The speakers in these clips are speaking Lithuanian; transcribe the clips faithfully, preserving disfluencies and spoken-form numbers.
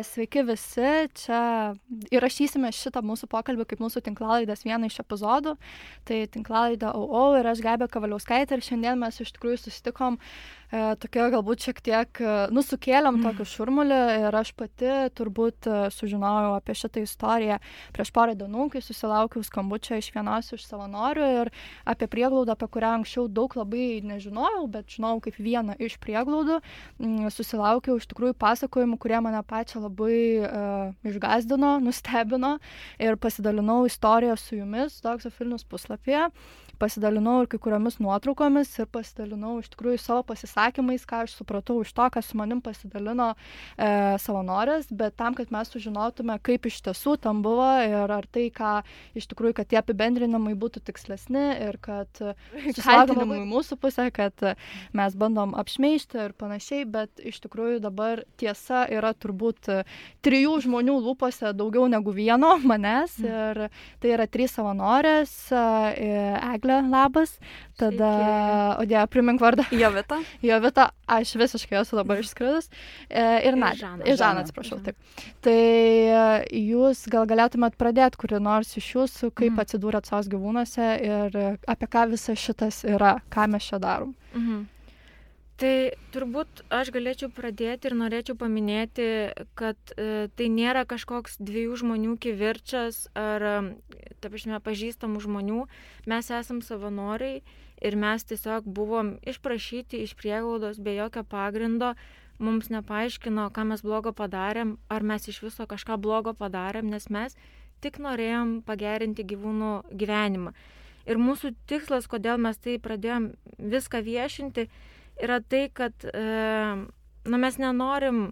sveiki visi, čia įrašysime šitą mūsų pokalbį kaip mūsų tinklalaidės vieną iš epizodų. Tai tinklalaidė au au ir aš Gabija Kavaliauskaitė ir šiandien mes iš tikrųjų susitikom e, tokia galbūt šiek tiek, nu, sukėlėm tokį šurmulį ir aš pati turbūt sužinojau apie šitą istoriją prieš porą dienų, kai susilaukiau skambučio iš vienos iš savanorių ir apie prieglaudą, apie kurią anksčiau daug labai nežinojau, bet žinojau kaip vieną iš prieglaudų. Susilaukiau iš tikrųjų pasakojimų, kurie mane pačią labai uh, išgąsdino, nustebino ir pasidalinau istoriją su jumis Dogs of Vilnius puslapyje. Pasidalinau ir kai kuriomis nuotraukomis ir pasidalinau iš tikrųjų savo pasisakymais, ką aš supratau iš to, ką su manim pasidalino e, savanorės, bet tam, kad mes sužinotume, kaip iš tiesų tam buvo ir ar tai, ką iš tikrųjų, kad tie apibendrinimai būtų tikslesni ir kad susilaukime į mūsų pusę, kad mes bandom apšmeižti ir panašiai, bet iš tikrųjų dabar tiesa yra turbūt trijų žmonių lūpose daugiau negu vieno manęs ir tai yra trys savanorės, Eglė, labas, tada, o dėja, primink vardą. Jovita. Jovita, aš visiškai esu dabar išskridus. E, ir Nadė. Ir Žana, atsiprašau, taip. Tai jūs gal galėtumėt pradėti kuri nors iš jūsų, kaip mhm. atsidūrėt sos gyvūnuose ir apie ką visas šitas yra, ką mes čia darom. Mhm. Tai turbūt aš galėčiau pradėti ir norėčiau paminėti, kad e, tai nėra kažkoks dviejų žmonių kivirčas ar, ta prasme, pažįstamų žmonių. Mes esam savanoriai ir mes tiesiog buvom išprašyti iš prieglaudos be jokio pagrindo. Mums nepaaiškino, ką mes blogo padarėm, ar mes iš viso kažką blogo padarėm, nes mes tik norėjom pagerinti gyvūnų gyvenimą. Ir mūsų tikslas, kodėl mes tai pradėjom viską viešinti, yra tai, kad e, nu, mes nenorim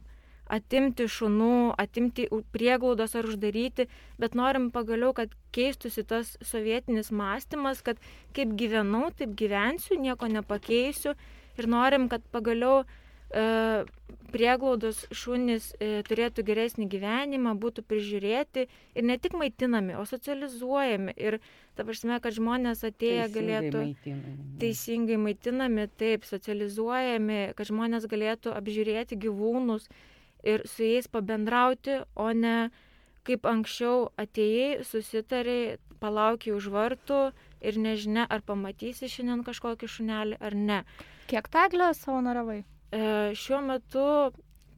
atimti šunų, atimti prieglaudos ar uždaryti, bet norim pagaliau, kad keistųsi tas sovietinis mąstymas, kad kaip gyvenau, taip gyvensiu, nieko nepakeisiu ir norim, kad pagaliau e, prieglaudos šunys e, turėtų geresnį gyvenimą, būtų prižiūrėti ir ne tik maitinami, o socializuojami ir ta prasme, kad žmonės atėję teisingai galėtų maitinami. teisingai maitinami, taip, socializuojami, kad žmonės galėtų apžiūrėti gyvūnus ir su jais pabendrauti, o ne kaip anksčiau atėjai, susitariai, palaukiai už vartų ir nežinia, ar pamatysi šiandien kažkokį šunelį ar ne. Kiek taglę savanoriavai? E, šiuo metu,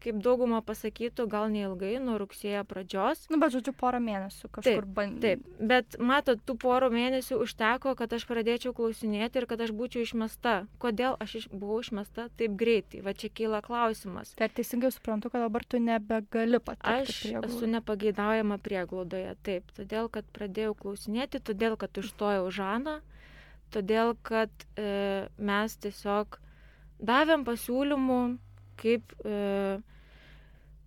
kaip dauguma pasakytų, gal neilgai, nuo rugsėjo pradžios. Nu, bet žodžiu, porą mėnesių kažkur bandė. Taip, bet matot, tų porų mėnesių užteko, kad aš pradėčiau klausinėti ir kad aš būčiau išmesta. Kodėl aš iš, buvau išmesta taip greitai? Va čia kyla klausimas. Tai teisingai suprantu, kad dabar tu nebegali patekti Aš prieglaudą. esu nepageidaujama prieglaudoje, taip. Todėl, kad pradėjau klausinėti, todėl, kad užstojau Žaną, todėl, kad e, mes tiesiog davėm pasiūlymų, kaip... E,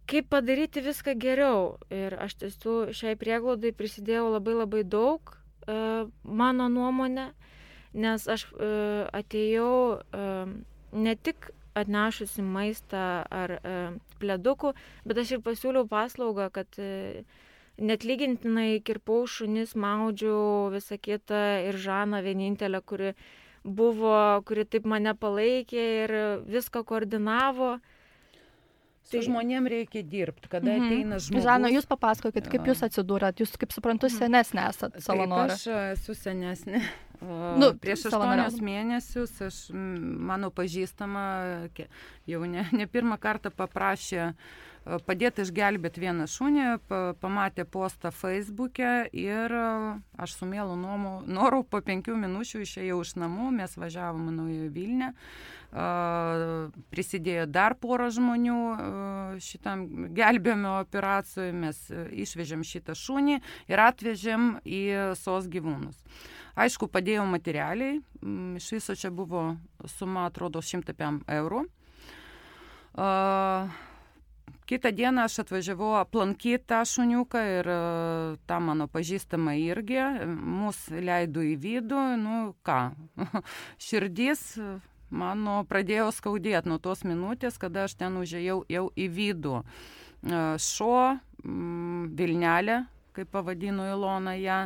Kaip padaryti viską geriau. Ir aš tiesų šiai prieglaudai prisidėjau labai labai daug, e, mano nuomonė, nes aš e, atėjau e, ne tik atnešusi maistą ar e, pledukų, bet aš ir pasiūliau paslaugą, kad e, netlygintinai kirpau šunis, maudžiau visą kitą ir Žaną vienintelę, kuri buvo, kuri taip mane palaikė ir viską koordinavo. Su žmonėm reikia dirbti, kada Mhm. ateina žmogus. Žana, jūs papasakokit, kaip jūs atsidūrėt. Jūs, kaip suprantu, senesnė esat savanorė. Taip, aš esu senesnė. Nu, Prieš savanoriaudama. aštuonius mėnesius aš, m, mano pažįstama, ke- jau ne, ne pirmą kartą paprašė e, padėti išgelbėti vieną šunį, pa, pamatė postą Facebook'e ir e, aš su mielu nomu- noru po penkių minučių išėjau iš namų, mes važiavom į Naująją Vilnią. Uh, prisidėjo dar porą žmonių uh, šitam gelbėjimo operacijai, mes uh, išvežėm šitą šunį ir atvežėm į sos gyvūnus. Aišku, padėjau materialiai, mm, iš viso čia buvo suma, atrodo, šimtas penkiasdešimt eurų. Uh, kitą dieną aš atvažiavau aplankyti tą šuniuką ir uh, tą mano pažįstamą irgi, mus leido į vidų, nu ką, širdis mano pradėjo skaudėti nuo tos minutės, kada aš ten užėjau jau į vidų. Šuo, Vilnelė, kaip pavadino Ilona ją,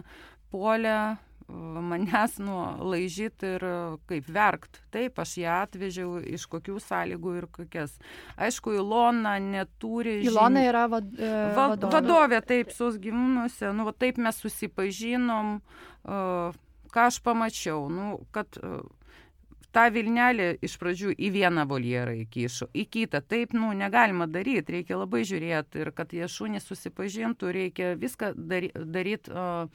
puolė manęs nu, laižyt ir kaip verkt. Taip, aš ją atvežiau iš kokių sąlygų ir kokias. Aišku, Ilona neturi... Ilona yra vad, e, va, vadovė. Vadovė, taip, sos gyvūnuose. Nu, va, taip mes susipažinom. Uh, ką aš pamačiau? Nu, kad... Uh, tą vilnelį iš pradžių į vieną voljerą įkišo, į kitą. Taip, nu, negalima daryti, reikia labai žiūrėti ir kad jie šunys susipažintų, reikia viską daryti daryt, uh,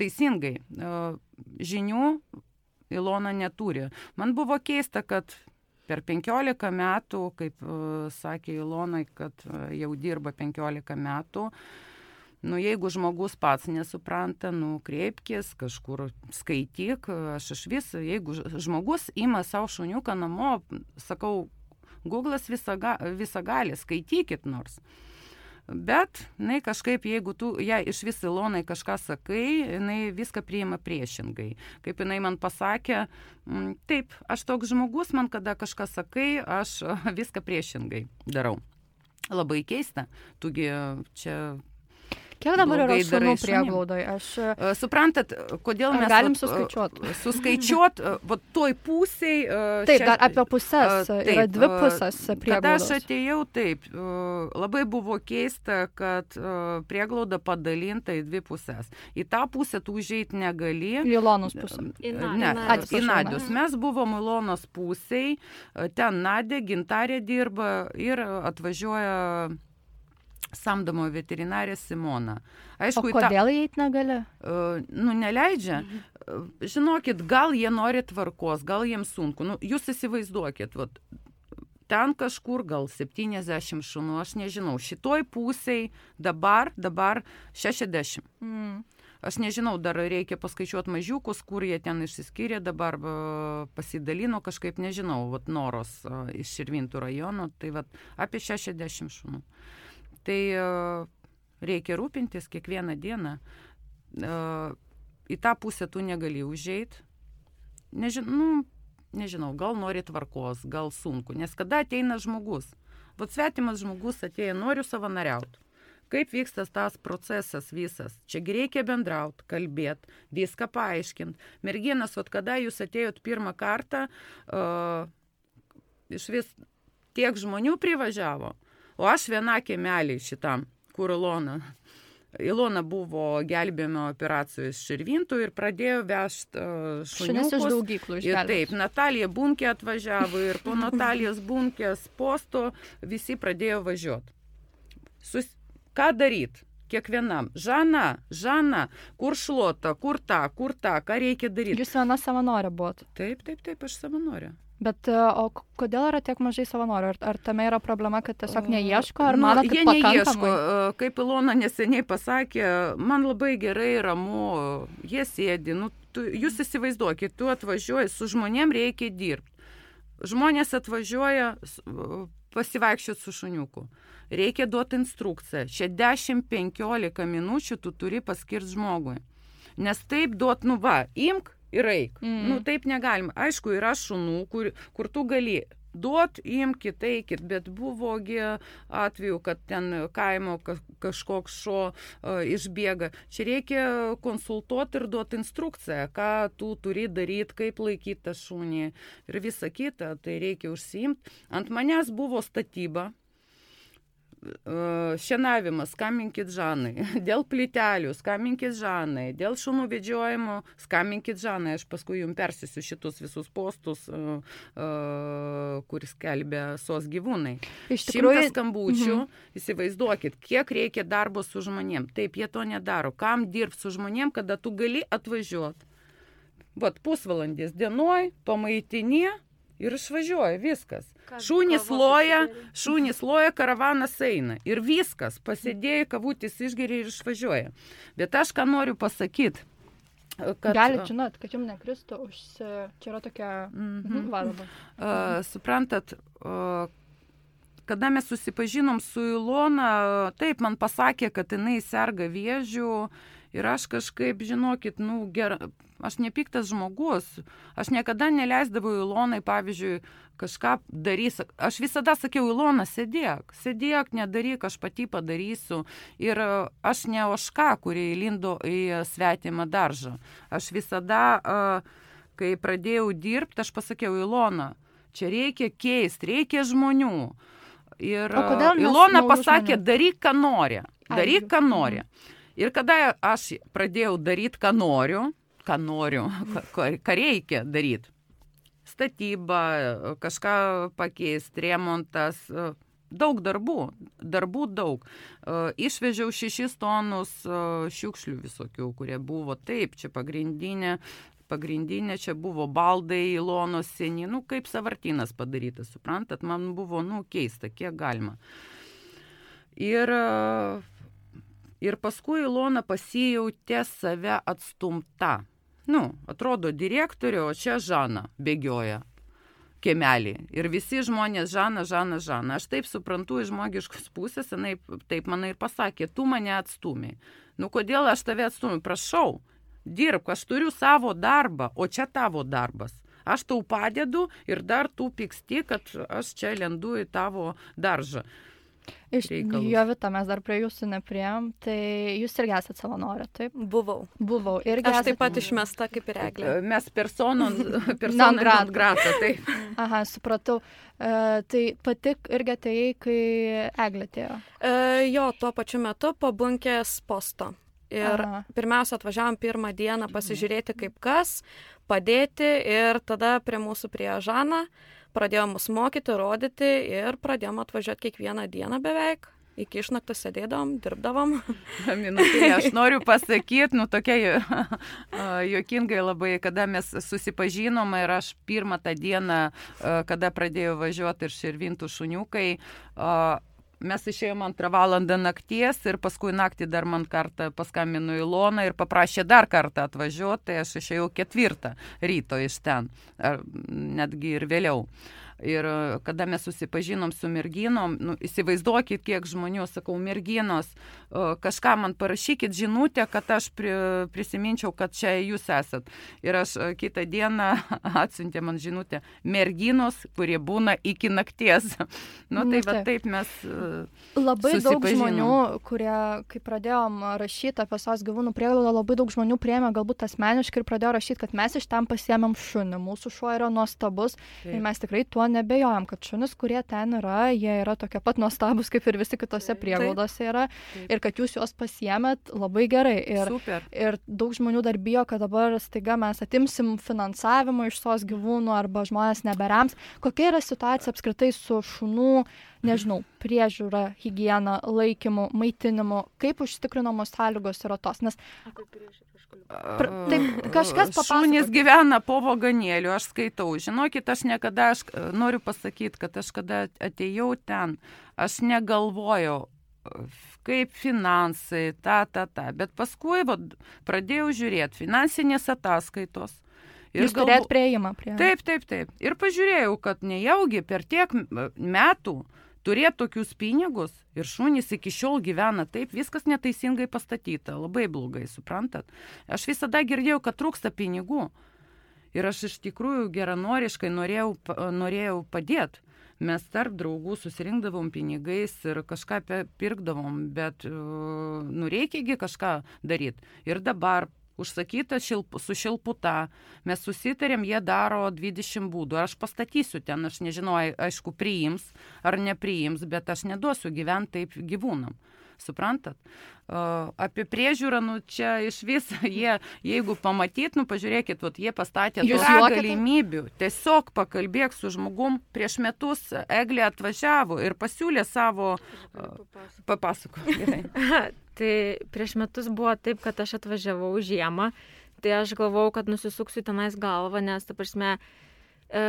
teisingai. Uh, žinių Ilona neturi. Man buvo keista, kad per penkiolika metų, kaip uh, sakė Ilona, kad uh, jau dirba penkiolika metų, nu, jeigu žmogus pats nesupranta, nu, kreipkis, kažkur skaityk, aš iš vis, jeigu žmogus ima savo šuniuką namo, sakau, Google'as visą, visą gali, skaitykit nors. Bet, jinai kažkaip, jeigu tu, ja, iš vis Ilonai kažką sakai, jinai viską priima priešingai. Kaip jinai man pasakė, taip, aš toks žmogus, man kada kažką sakai, aš viską priešingai darau. Labai keista, tugi čia... Kiek dabar yra šunų prieglaudoje? Aš... Suprantat, kodėl mes... Galim suskaičiuoti. Suskaičiuoti, va toj pusiai... Taip, dar apie pusės, taip, yra dvi pusės prieglaudos. Kada aš atėjau, taip, labai buvo keista, kad prieglauda padalinta į dvi pusės. Į tą pusę tu užeit negali. Į Ilonos pusę. Ne, į Nadios. Mes buvom Ilonos pusiai, ten Nadė, Gintarė dirba ir atvažiuoja... samdomo veterinarė Simona. Aišku, o kodėl jie eit negali? Uh, nu, neleidžia. Uh, žinokit, gal jie nori tvarkos, gal jiems sunku. Nu, jūs įsivaizduokit, vat, ten kažkur gal septyniasdešimt šunų, aš nežinau. Šitoj pusiai dabar, dabar šešiasdešimt. Mm. Aš nežinau, dar reikia paskaičiuoti mažiukus, kur jie ten išsiskyrė, dabar uh, pasidalino kažkaip, nežinau, vat, Noros uh, iš Širvintų rajono, tai vat, apie šešiasdešimt šunų. Tai uh, reikia rūpintis kiekvieną dieną. Uh, į tą pusę tu negali užeit. Nežin, nu, nežinau, gal nori tvarkos, gal sunku. Nes kada ateina žmogus? Vat svetimas žmogus atėjo, noriu savanoriauti. Kaip vyksta tas procesas visas? Čiagi reikia bendrauti, kalbėti, viską paaiškinti. Merginas, vat kada jūs atėjot pirmą kartą, uh, iš vis tiek žmonių privažiavo. O aš viena kiemelį šitam, kur Ilona. Ilona buvo gelbėjimo operacijų iš Širvintų ir pradėjo vežti uh, šuniukus. Šunis iš daugyklų išgelbės. Taip, Natalija Bunkė atvažiavo ir po Natalijos Bunkės posto visi pradėjo važiuoti. Sus... Ką daryti? Kiekvienam. Žana, Žana, kur šluota, kur ta, kur ta, ką reikia daryti? Jūs viena savanorė buvot? Taip, taip, taip, aš savanorė. Bet o kodėl yra tiek mažai savanorių? Ar, ar tame yra problema, kad tiesiog neieško? Ar nu, manot, kad jie pakankamai? Neieško. Kaip Ilona neseniai pasakė, man labai gerai ramu, jie sėdi. Nu, tu, jūs įsivaizduokit, tu atvažiuoji, su žmonėm reikia dirbti. Žmonės atvažiuoja pasivaikščioti su šuniuku. Reikia duoti instrukciją. Čia dešimt penkiolika minučių tu turi paskirti žmogui. Nes taip duot, nu va, imk, ir eik. Mm. Nu, taip negalima. Aišku, yra šunų, kur, kur tu gali duot, imkit, eikit, bet buvogi atveju, kad ten kaimo kažkoks šuo uh, išbėga. Čia reikia konsultuoti ir duoti instrukciją, ką tu turi daryti, kaip laikyti tą šunį ir visą kitą, tai reikia užsiimti. Ant manęs buvo statyba. Šienavimas, skambinkit Žanai, dėl plytelių, skambinkit Žanai, dėl šunų vedžiojimo, skambinkit Žanai, aš paskui jums persisiu šitus visus postus, uh, uh, kuris skelbia sos gyvūnai. Iš tikrųjų, šimtas skambučių, mhm. Įsivaizduokit, kiek reikia darbo su žmonėm. Taip, jie to nedaro. Kam dirbti su žmonėm, kada tu gali atvažiuoti? Vat pusvalandis dienoj, pamaitinė ir išvažiuoja, viskas. Šunys loja, šunys loja, karavanas eina. Ir viskas, pasėdėjai, kavutis išgeria ir išvažiuoja. Bet aš ką noriu pasakyti. Kad... Galit žinot, kad jums nekristų, užsi... čia yra tokia mm-hmm. varba. Uh, suprantat, uh, kada mes susipažinom su Ilona, taip, man pasakė, kad jinai serga vėžiu Ir aš kažkaip, žinokit, nu, ger... aš nepiktas žmogus. Aš niekada neleisdavau Ilonai, pavyzdžiui, kažką darys. Aš visada sakiau, Ilona, sėdėk, sėdėk, nedaryk, aš pati padarysiu. Ir aš ne ožka, kuri įlindo į svetimą daržą. Aš visada, kai pradėjau dirbti, aš pasakiau, Ilona, čia reikia keisti, reikia žmonių. Ir Ilona pasakė, daryk, ką nori. Daryk, ką nori. Ir kada aš pradėjau daryti, ką noriu, ką noriu, ką reikia daryti, statyba, kažką pakeisti, remontas, daug darbų, darbų daug. Išvežiau šešis tonus šiukšlių visokių, kurie buvo taip, čia pagrindinė, pagrindinė čia buvo baldai, Ilonos seni, nu kaip savartynas padarytas, suprantat, man buvo, nu, keista, kiek galima. Ir, ir paskui Ilona pasijautė save atstumta. Nu, atrodo direktorė, o čia Žana bėgioja kiemelį. Ir visi žmonės Žana, Žana, Žana. Aš taip suprantu iš žmogiškos pusės, jinai taip man ir pasakė, tu mane atstumiai. Nu, kodėl aš tave atstumiu? Prašau. Dirbk, aš turiu savo darbą, o čia tavo darbas. Aš tau padedu ir dar tu pyksti, kad aš čia lendu į tavo daržą. Iš Jovita, mes dar prie jūsų nepriejom, tai jūs irgi esate savanorė, taip? Buvau. Buvau. Irgi aš esat... taip pat išmesta kaip ir Eglė. Mes personom, personom non grata, taip. Aha, supratau. Uh, tai patik irgi atėjai, kai Eglė atėjo? Uh, jo, tuo pačiu metu po bunkės posto. Ir Aha. pirmiausia atvažiavom pirmą dieną pasižiūrėti kaip kas, padėti ir tada prie mūsų prie Žana pradėjom mus mokyti, rodyti ir pradėjom atvažiuoti kiekvieną dieną beveik. Iki išnaktų sėdėdavom, dirbdavom. Minutėlė, aš noriu pasakyti, nu tokia juokingai labai, kada mes susipažinom ir aš pirmą tą dieną, kada pradėjau važiuoti ir širvintų šuniukai, mes išėjom antrą valandą nakties ir paskui naktį dar man kartą paskambino Ilona ir paprašė dar kartą atvažiuoti, tai aš išėjau ketvirtą ryto iš ten, netgi ir vėliau. Ir kada mes susipažinom su merginom, nu, įsivaizduokit, kiek žmonių, sakau, merginos, kažką man parašykit žinutę, kad aš pri, prisiminčiau, kad čia jūs esat. Ir aš kitą dieną atsiuntė man žinutę, merginos, kurie būna iki nakties. Nu, tai va taip mes labai daug žmonių, kurie, kai pradėjom rašyti apie sos gyvūnų prieglaudą, labai daug žmonių priėmė galbūt asmeniškai ir pradėjo rašyti, kad mes iš ten pasiėmėm šunį. Mūsų šuo yra nuostabus taip. Ir mes tikrai tuo nebejojam, kad šunis, kurie ten yra, jie yra tokie pat nuostabus, kaip ir visi kitose prieglaudose yra. Taip. Ir kad jūs juos pasiėmėt, labai gerai. Ir, ir daug žmonių dar bijo, kad dabar staiga mes atimsim finansavimą iš sos gyvūnų arba žmonės neberiams. Kokia yra situacija apskritai su šunų, nežinau, priežiūra, higiena, laikymu, maitinimu, kaip užtikrinamos sąlygos yra tos? Nes Pra, taip, kažkas papasakot. Šunys gyvena po vagonėliu, aš skaitau. Žinokit, aš niekada, aš noriu pasakyti, kad aš kada atėjau ten, aš negalvojau, kaip finansai, ta, ta, ta. Bet paskui va, pradėjau žiūrėti finansinės ataskaitos. Jūs galvo... turėt prieimą prie... Taip, taip, taip. Ir pažiūrėjau, kad nejaugi per tiek metų turėti tokius pinigus ir šunys iki šiol gyvena taip, viskas neteisingai pastatyta, labai blogai, suprantat. Aš visada girdėjau, kad trūksta pinigų ir aš iš tikrųjų geranoriškai norėjau, norėjau padėti. Mes tarp draugų susirinkdavom pinigais ir kažką pirkdavom, bet nu reikiagi kažką daryti. Ir dabar užsakyta šilp, su šilputa, mes susitarėm, jie daro dvidešimt būdų. Aš pastatysiu ten, aš nežinau, aišku, priims ar nepriims, bet aš neduosiu gyventi taip gyvūnam. Suprantat? Uh, apie priežiūrą, nu čia iš vis, jie, jeigu pamatyt, nu pažiūrėkit, vat, jie pastatė tokių galimybių. Tiesiog pakalbėk su žmogum, prieš metus Eglė atvažiavo ir pasiūlė savo... Uh, papasako. Gerai. Tai prieš metus buvo taip, kad aš atvažiavau žiemą, tai aš galvojau, kad nusisuksiu tenais galvą, nes, ta prasme, e,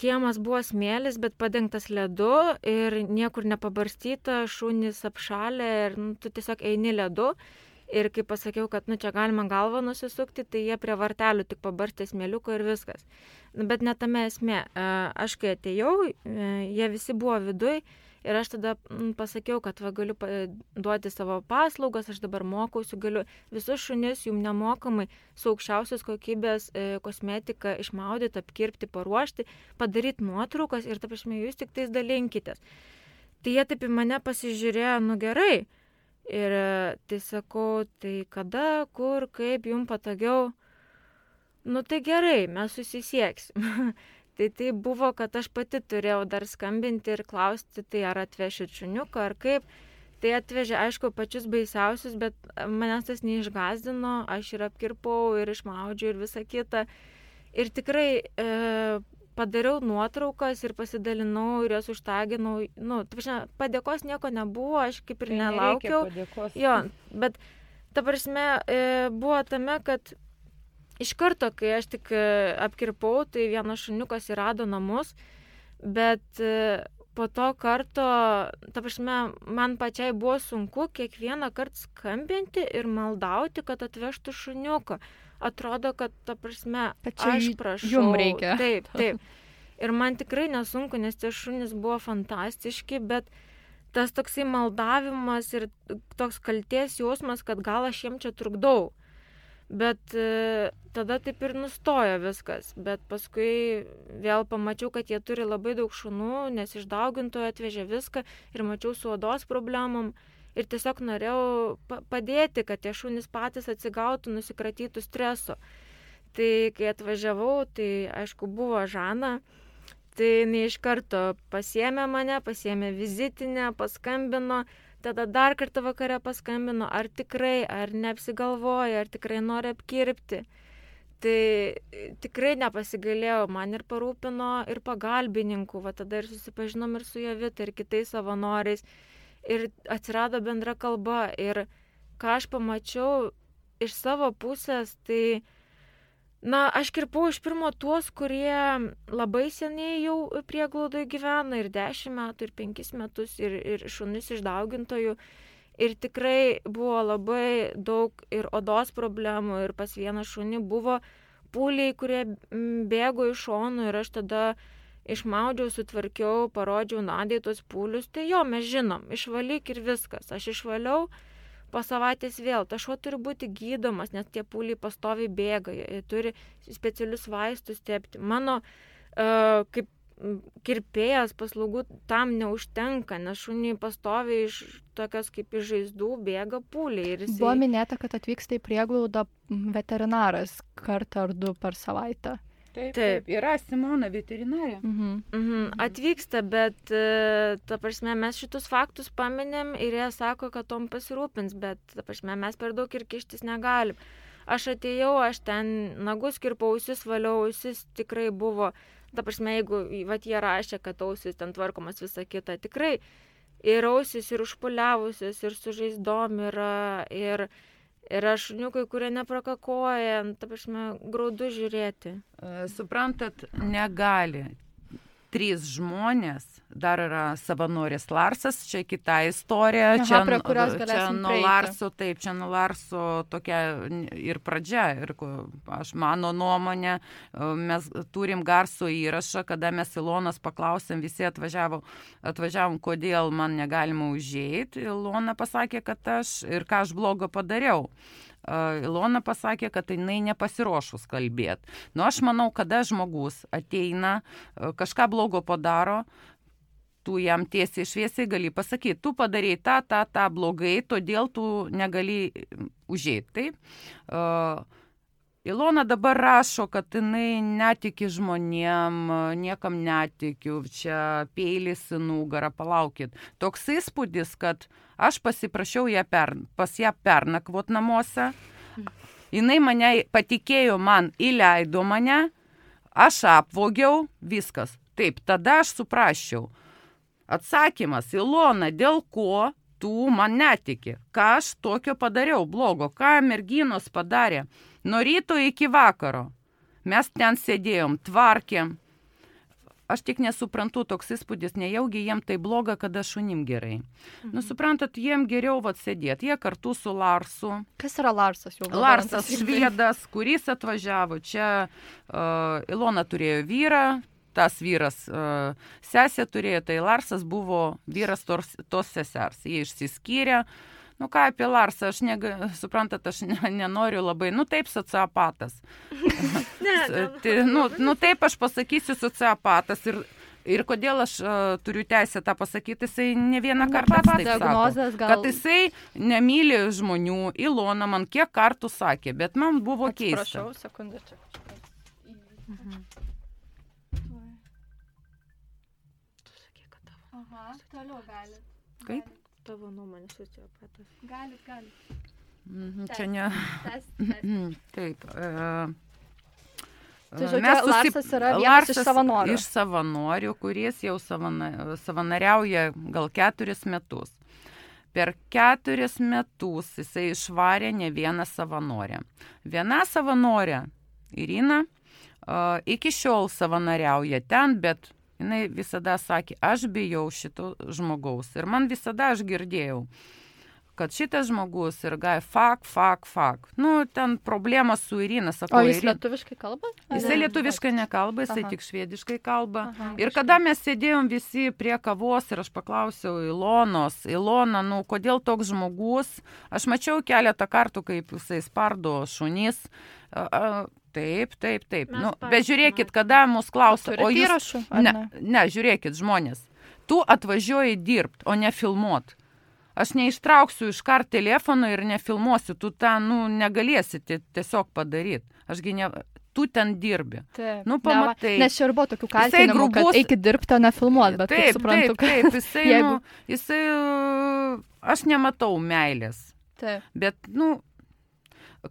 kiemas buvo smėlis, bet padengtas ledu ir niekur nepabarstyta, šunys apšalę ir nu, tu tiesiog eini ledu. Ir kai pasakiau, kad nu, čia galima galvą nusisukti, tai jie prie vartelių tik pabarstė smėliuko ir viskas. Bet ne tame esmė. E, aš kai atėjau, e, jie visi buvo viduj Ir aš tada pasakiau, kad va, galiu duoti savo paslaugas, aš dabar mokausi, galiu visus šunis jums nemokamai su aukščiausios kokybės e, kosmetika išmaudyti, apkirpti, paruošti, padaryti nuotraukas ir, ta prasme, jūs tik tais dalinkitės. Tai jie taip į mane pasižiūrėjo, nu gerai. Ir tai sakau, tai kada, kur, kaip jums patogiau. Nu tai gerai, mes susisieksim. Tai tai buvo, kad aš pati turėjau dar skambinti ir klausti, tai ar atvešit šuniuką, ar kaip. Tai atvežė, aišku, pačius baisiausius, bet manęs tas neišgazdino, aš ir apkirpau, ir išmaudžiau, ir visą kitą. Ir tikrai e, padariau nuotraukas ir pasidalinau, ir jas užtaginau. Nu, padėkos nieko nebuvo, aš kaip ir nelaukiau. Jo, bet ta prasme e, buvo tame, kad iš karto, kai aš tik apkirpau, tai vienas šuniukas įrado namus, bet po to karto, ta prasme, man pačiai buvo sunku kiekvieną kartą skambinti ir maldauti, kad atvežtų šuniuką. Atrodo, kad, ta prasme, aš prašau. Jum reikia. Taip, taip. Ir man tikrai nesunku, nes tie šunys buvo fantastiški, bet tas toksai maldavimas ir toks kaltės jausmas, kad gal aš jiem čia trukdau. Bet e, tada taip ir nustojo viskas, bet paskui vėl pamačiau, kad jie turi labai daug šunų, nes iš daugintojo atvežė viską ir mačiau su odos problemom ir tiesiog norėjau pa- padėti, kad tie šunys patys atsigautų, nusikratytų streso. Tai kai atvažiavau, tai aišku buvo Žana, tai jinai iš karto pasiėmė mane, pasiėmė vizitinę, paskambino. Tada dar kartą vakare paskambino, ar tikrai, ar neapsigalvoja, ar tikrai nori apkirpti. Tai tikrai nepasigailėjau, man ir parūpino, ir pagalbininkų, va tada ir susipažinom ir su Jovita, ir kitais savanoriais. Ir atsirado bendra kalba. Ir ką aš pamačiau iš savo pusės, tai, na, aš kirpau iš pirmo tuos, kurie labai seniai jau prieglaudoje gyvena, ir dešimt metų, ir penkis metus, ir, ir šunis iš daugintojų. Ir tikrai buvo labai daug ir odos problemų, ir pas vieną šunį buvo pūliai, kurie bėgo iš šonų, ir aš tada išmaudžiau, sutvarkiau, parodžiau Nadiai tos pūlius. Tai jo, mes žinom, išvalyk ir viskas. Aš išvaliau. Po savaitės vėl, tas šuo turi būti gydomas, nes tie pūliai pastoviai bėga, jie turi specialius vaistus tepti. Mano uh, kaip kirpėjas paslaugų tam neužtenka, nes šuniai pastoviai iš tokios kaip iš žaizdų bėga pūliai. Ir jisai... Buvo minėta, kad atvyksta į prieglaudą veterinaras kartą ar du per savaitę. Taip, taip, yra Simona veterinarė. Mhm. Mhm. Atvyksta, bet, ta prasme, mes šitus faktus paminėm ir jie sako, kad tom pasirūpins, bet, ta prasme, mes per daug ir kištis negalim. Aš atėjau, aš ten nagus kirpau, ausis valiau, ausis tikrai buvo, ta prasme, jeigu vat, jie rašė, kad ausis ten tvarkomas visą kitą, tikrai ir ausis, ir užpuliavusios, ir su žaizdom yra, ir... Yra šuniukai, kurie neprakakoja, ta prasme, graudu žiūrėti. Suprantat, negali. Trys žmonės, dar yra savanoris Larsas, čia kita istorija. Aha, čia, prie kurios čia galėsim nuo prieiti. Larso, taip, čia nuo Larso tokia ir pradžia. Ir aš mano nuomonė, mes turim garso įrašą, kada mes Ilonas paklausėm, visi atvažiavo, atvažiavom, kodėl man negalima užeiti. Ilona pasakė, kad aš ir ką aš blogo padariau. Ilona pasakė, kad jinai nepasiruošus kalbėti. Nu, aš manau, kada žmogus ateina, kažką blogo padaro, tu jam tiesiai šviesiai gali pasakyti, tu padarei tą, tą, tą blogai, todėl tu negali užeiti. Taip? Uh, Ilona dabar rašo, kad jinai netiki žmonėm, niekam netikiu, čia peilis į nugarą, palaukit. Toks įspūdis, kad aš pasiprašiau ją per, pas ją pernakvot namuose, jinai mane patikėjo, man įleido mane, aš apvogiau, viskas. Taip, tada aš suprasčiau. Atsakymas, Ilona, dėl ko tu man netiki? Ką aš tokio padariau blogo? Ką merginos padarė? Nuo ryto iki vakaro. Mes ten sėdėjom, tvarkėm. Aš tik nesuprantu, toks įspūdis, nejaugi jiem tai bloga, kada šunim gerai. Mhm. Nu, suprantat, jiem geriau vat sėdėti. Jie kartu su Larsu. Kas yra Larsas jau? Larsas švedas, kuris atvažiavo. Čia uh, Ilona turėjo vyrą, tas vyras uh, sesė turėjo, tai Larsas buvo vyras tos, tos sesers. Jie išsiskyrė. Nu ką apie Larsą, aš nega, suprantat, aš ne, nenoriu labai, nu taip, sociopatas. ne, ne, tai, nu, nu taip aš pasakysiu sociopatas ir, ir kodėl aš uh, turiu teisę tą pasakyti, jisai ne vieną kartą taip sako, gal... kad jisai nemyli žmonių. Ilona man kiek kartų sakė, bet man buvo keista. Atsiprašau, sekundę čia. Mhm. Tu sakė, kad tavo. Aha, toliau gali. Kaip? Tavo nuomonė sociopatas. Galit, galit. Mm, čia ne. Tas, tas. Taip. E, tai žodžiu, susip... Larsas yra vienas Larsas iš savanorių. Iš savanorių, kuris jau savana... savanoriauja gal keturis metus. Per keturis metus jisai išvarė ne vieną savanorę. Viena savanorė, Irina, uh, iki šiol savanoriauja ten, bet jinai visada sakė, aš bijau šito žmogaus. Ir man visada aš girdėjau, kad šitas žmogus ir gai fak, fak, fak. Nu, ten problema su Irina. Sakau, o jis Irina... lietuviškai kalba? Jisai lietuviškai nekalba, jisai Aha. tik švediškai kalba. Aha, ir kada mes sėdėjom visi prie kavos ir aš paklausiau Ilonos, Ilona, nu, kodėl toks žmogus? Aš mačiau keletą kartų, kaip jisai spardo šunis. A, a, Taip, taip, taip. Nu, bet žiūrėkit, kada mus klausia, o jūs... Įrašų, ne, ne, žiūrėkit, žmonės, tu atvažiuoji dirbt, o ne filmuot. Aš neištrauksiu iš kart telefono ir nefilmuosiu, tu tą, nu, negalėsi tiesiog padaryti. Ašgi ne... Tu ten dirbi. Taip. Nu, pamatai. Nes čia ir buvo tokių kaltinimų, grubus... kad eikit dirbti, o nefilmuot, bet taip, kaip suprantu, taip, taip, jisai, jeigu... nu, jisai, aš nematau meilės. Taip. Bet, nu,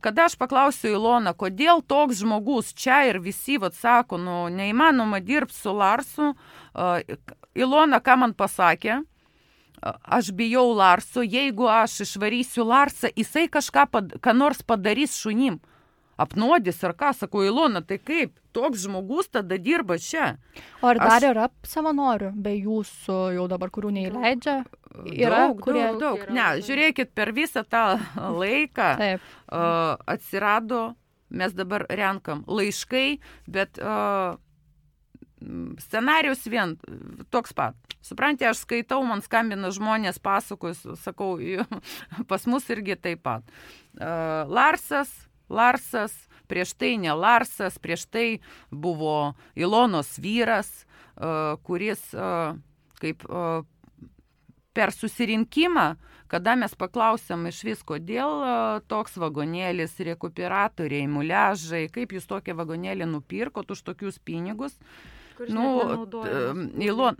kada aš paklausiu Iloną, kodėl toks žmogus čia ir visi, vat, sako, nu, neįmanoma dirbti su Larsu, uh, Ilona, ką man pasakė, uh, aš bijau Larso, jeigu aš išvarysiu Larsą, jisai kažką, pad, ką nors padarys šunim, apnuodys ar ką, sako, Ilona, tai kaip, toks žmogus tada dirba čia. O ar dar aš... yra savanorių, be jūsų jau dabar, kurių neįleidžia? Yra, daug, kurie... daug, daug. Yra, ne, daug. žiūrėkit, per visą tą laiką Taip. uh, atsirado, mes dabar renkam laiškai, bet uh, scenarius vien toks pat. Suprantate, aš skaitau, man skambina žmonės, pasakojus, sakau, pas mus irgi taip pat. Uh, Larsas, Larsas, prieš tai ne Larsas, prieš tai buvo Ilonos vyras, uh, kuris uh, kaip... Uh, per susirinkimą, kada mes paklausėm iš vis, kodėl toks vagonėlis, rekuperatoriai, muliažai, kaip jūs tokią vagonėlį nupirkot už tokius pinigus. Kuris nu, net Ilon,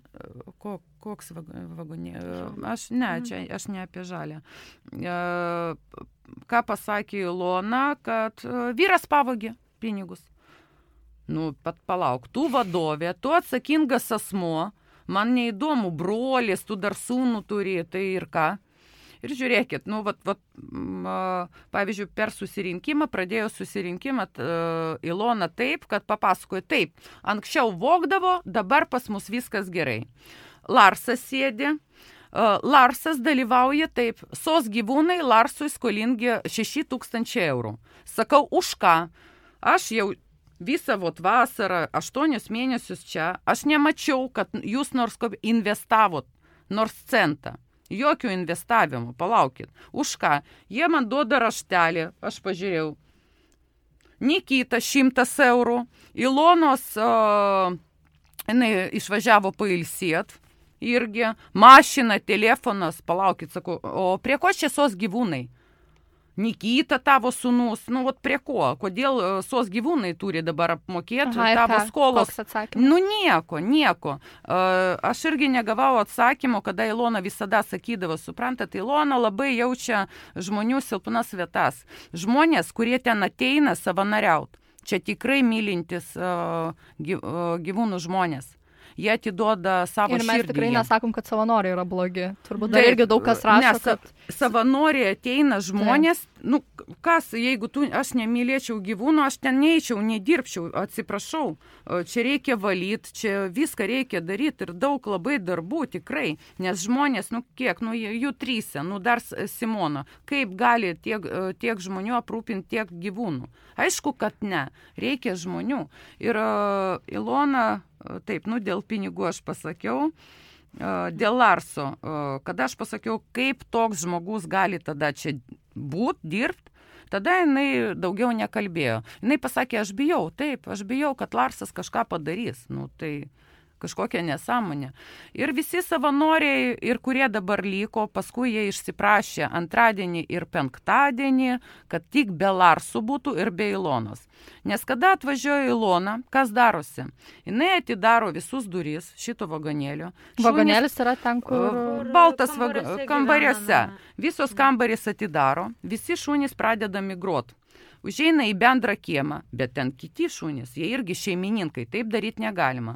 ko, koks vagonėlis? Aš ne, čia aš ne apie žalę. Ką pasakė Ilona, kad vyras pavogė pinigus. Nu, pat palauk, tu vadovė, tu atsakingas asmuo, man neįdomu, brolis, tu dar sūnų turi, tai ir ką. Ir žiūrėkit, nu, vat, vat, pavyzdžiui, per susirinkimą, pradėjo susirinkimą Ilona taip, kad papasakojo taip, anksčiau vogdavo, dabar pas mus viskas gerai. Larsas sėdi, Larsas dalyvauja taip, sos gyvūnai Larsui skolingi šeši tūkstančiai eurų. Sakau, už ką? Aš jau visą vot vasarą, aštuonius mėnesius čia, aš nemačiau, kad jūs nors investavot, nors centą. Jokių investavimų, palaukit. Už ką? Jie man duoda raštelį, aš pažiūrėjau. Nikita šimtas eurų, Ilonos, o, jinai išvažiavo pailsėt, irgi, mašina, telefonas, palaukit, sakau, o prie ko čia sos gyvūnai? Nikita tavo sūnus, nu, vat prie ko? Kodėl sos gyvūnai turi dabar apmokėti Aha, tavo ką? skolos? Koks atsakymas? Nu, nieko, nieko. Uh, aš irgi negavau atsakymo, kada Ilona visada sakydavo, suprantat, Ilona labai jaučia žmonių silpnas vietas. Žmonės, kurie ten ateina savanoriaut, čia tikrai mylintis uh, gyvūnų žmonės. Jie atiduoda savo širdį. Ir mes tikrai nesakom, kad savanoriai yra blogi. Turbūt dar irgi daug kas rašo, nes, kad... Savanoriai ateina žmonės, nu, kas, jeigu tu, aš nemylėčiau gyvūnų, aš ten neįčiau, nedirbčiau, atsiprašau, čia reikia valyti, čia viską reikia daryti ir daug labai darbų tikrai, nes žmonės, nu kiek, nu jų trysia, nu dar Simona, kaip gali tiek, tiek žmonių aprūpinti tiek gyvūnų? Aišku, kad ne, reikia žmonių. Ir uh, Ilona, taip, nu dėl pinigų aš pasakiau, dėl Larso, kada aš pasakiau, kaip toks žmogus gali tada čia būt, dirbt, tada jinai daugiau nekalbėjo. Jinai pasakė, aš bijau, taip, aš bijau, kad Larsas kažką padarys. Nu, tai kažkokia nesąmonė. Ir visi savanoriai, ir kurie dabar liko, paskui jie išsiprašė antradienį ir penktadienį, kad tik be Larsų būtų ir be Ilonos. Nes kada atvažiuoja Ilona, kas darosi? Jinai atidaro visus duris šito vagonėlio. Vagonėlis yra ten, kur... Baltas kambariuose. Visos kambarės atidaro, visi šunys pradeda migruoti. Užeina į bendrą kiemą, bet ten kiti šunys, jie irgi šeimininkai, taip daryti negalima.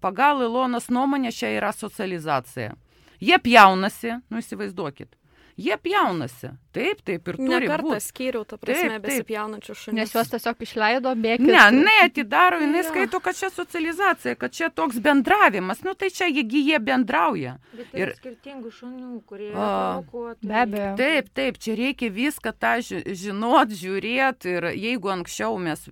Pagal Ilonos nuomonę čia yra socializacija. Jie pjaunasi, nu įsivaizduokit. Jie pjaunasi. Taip, taip ir turi būti. Ne kartą skyriau, ta prasme, besipjaunančių šunys. Nes juos tiesiog išleido bėgti. Ne, ne, atidaro, jinai ja. Skaito, kad čia socializacija, kad čia toks bendravimas. Nu tai čia jie, jie bendrauja. Bet tai ir skirtingų šunių, kurie yra provokuoti. Be abejo. Taip, taip, čia reikia viską tą žinot, žiūrėti. Ir jeigu anksčiau mes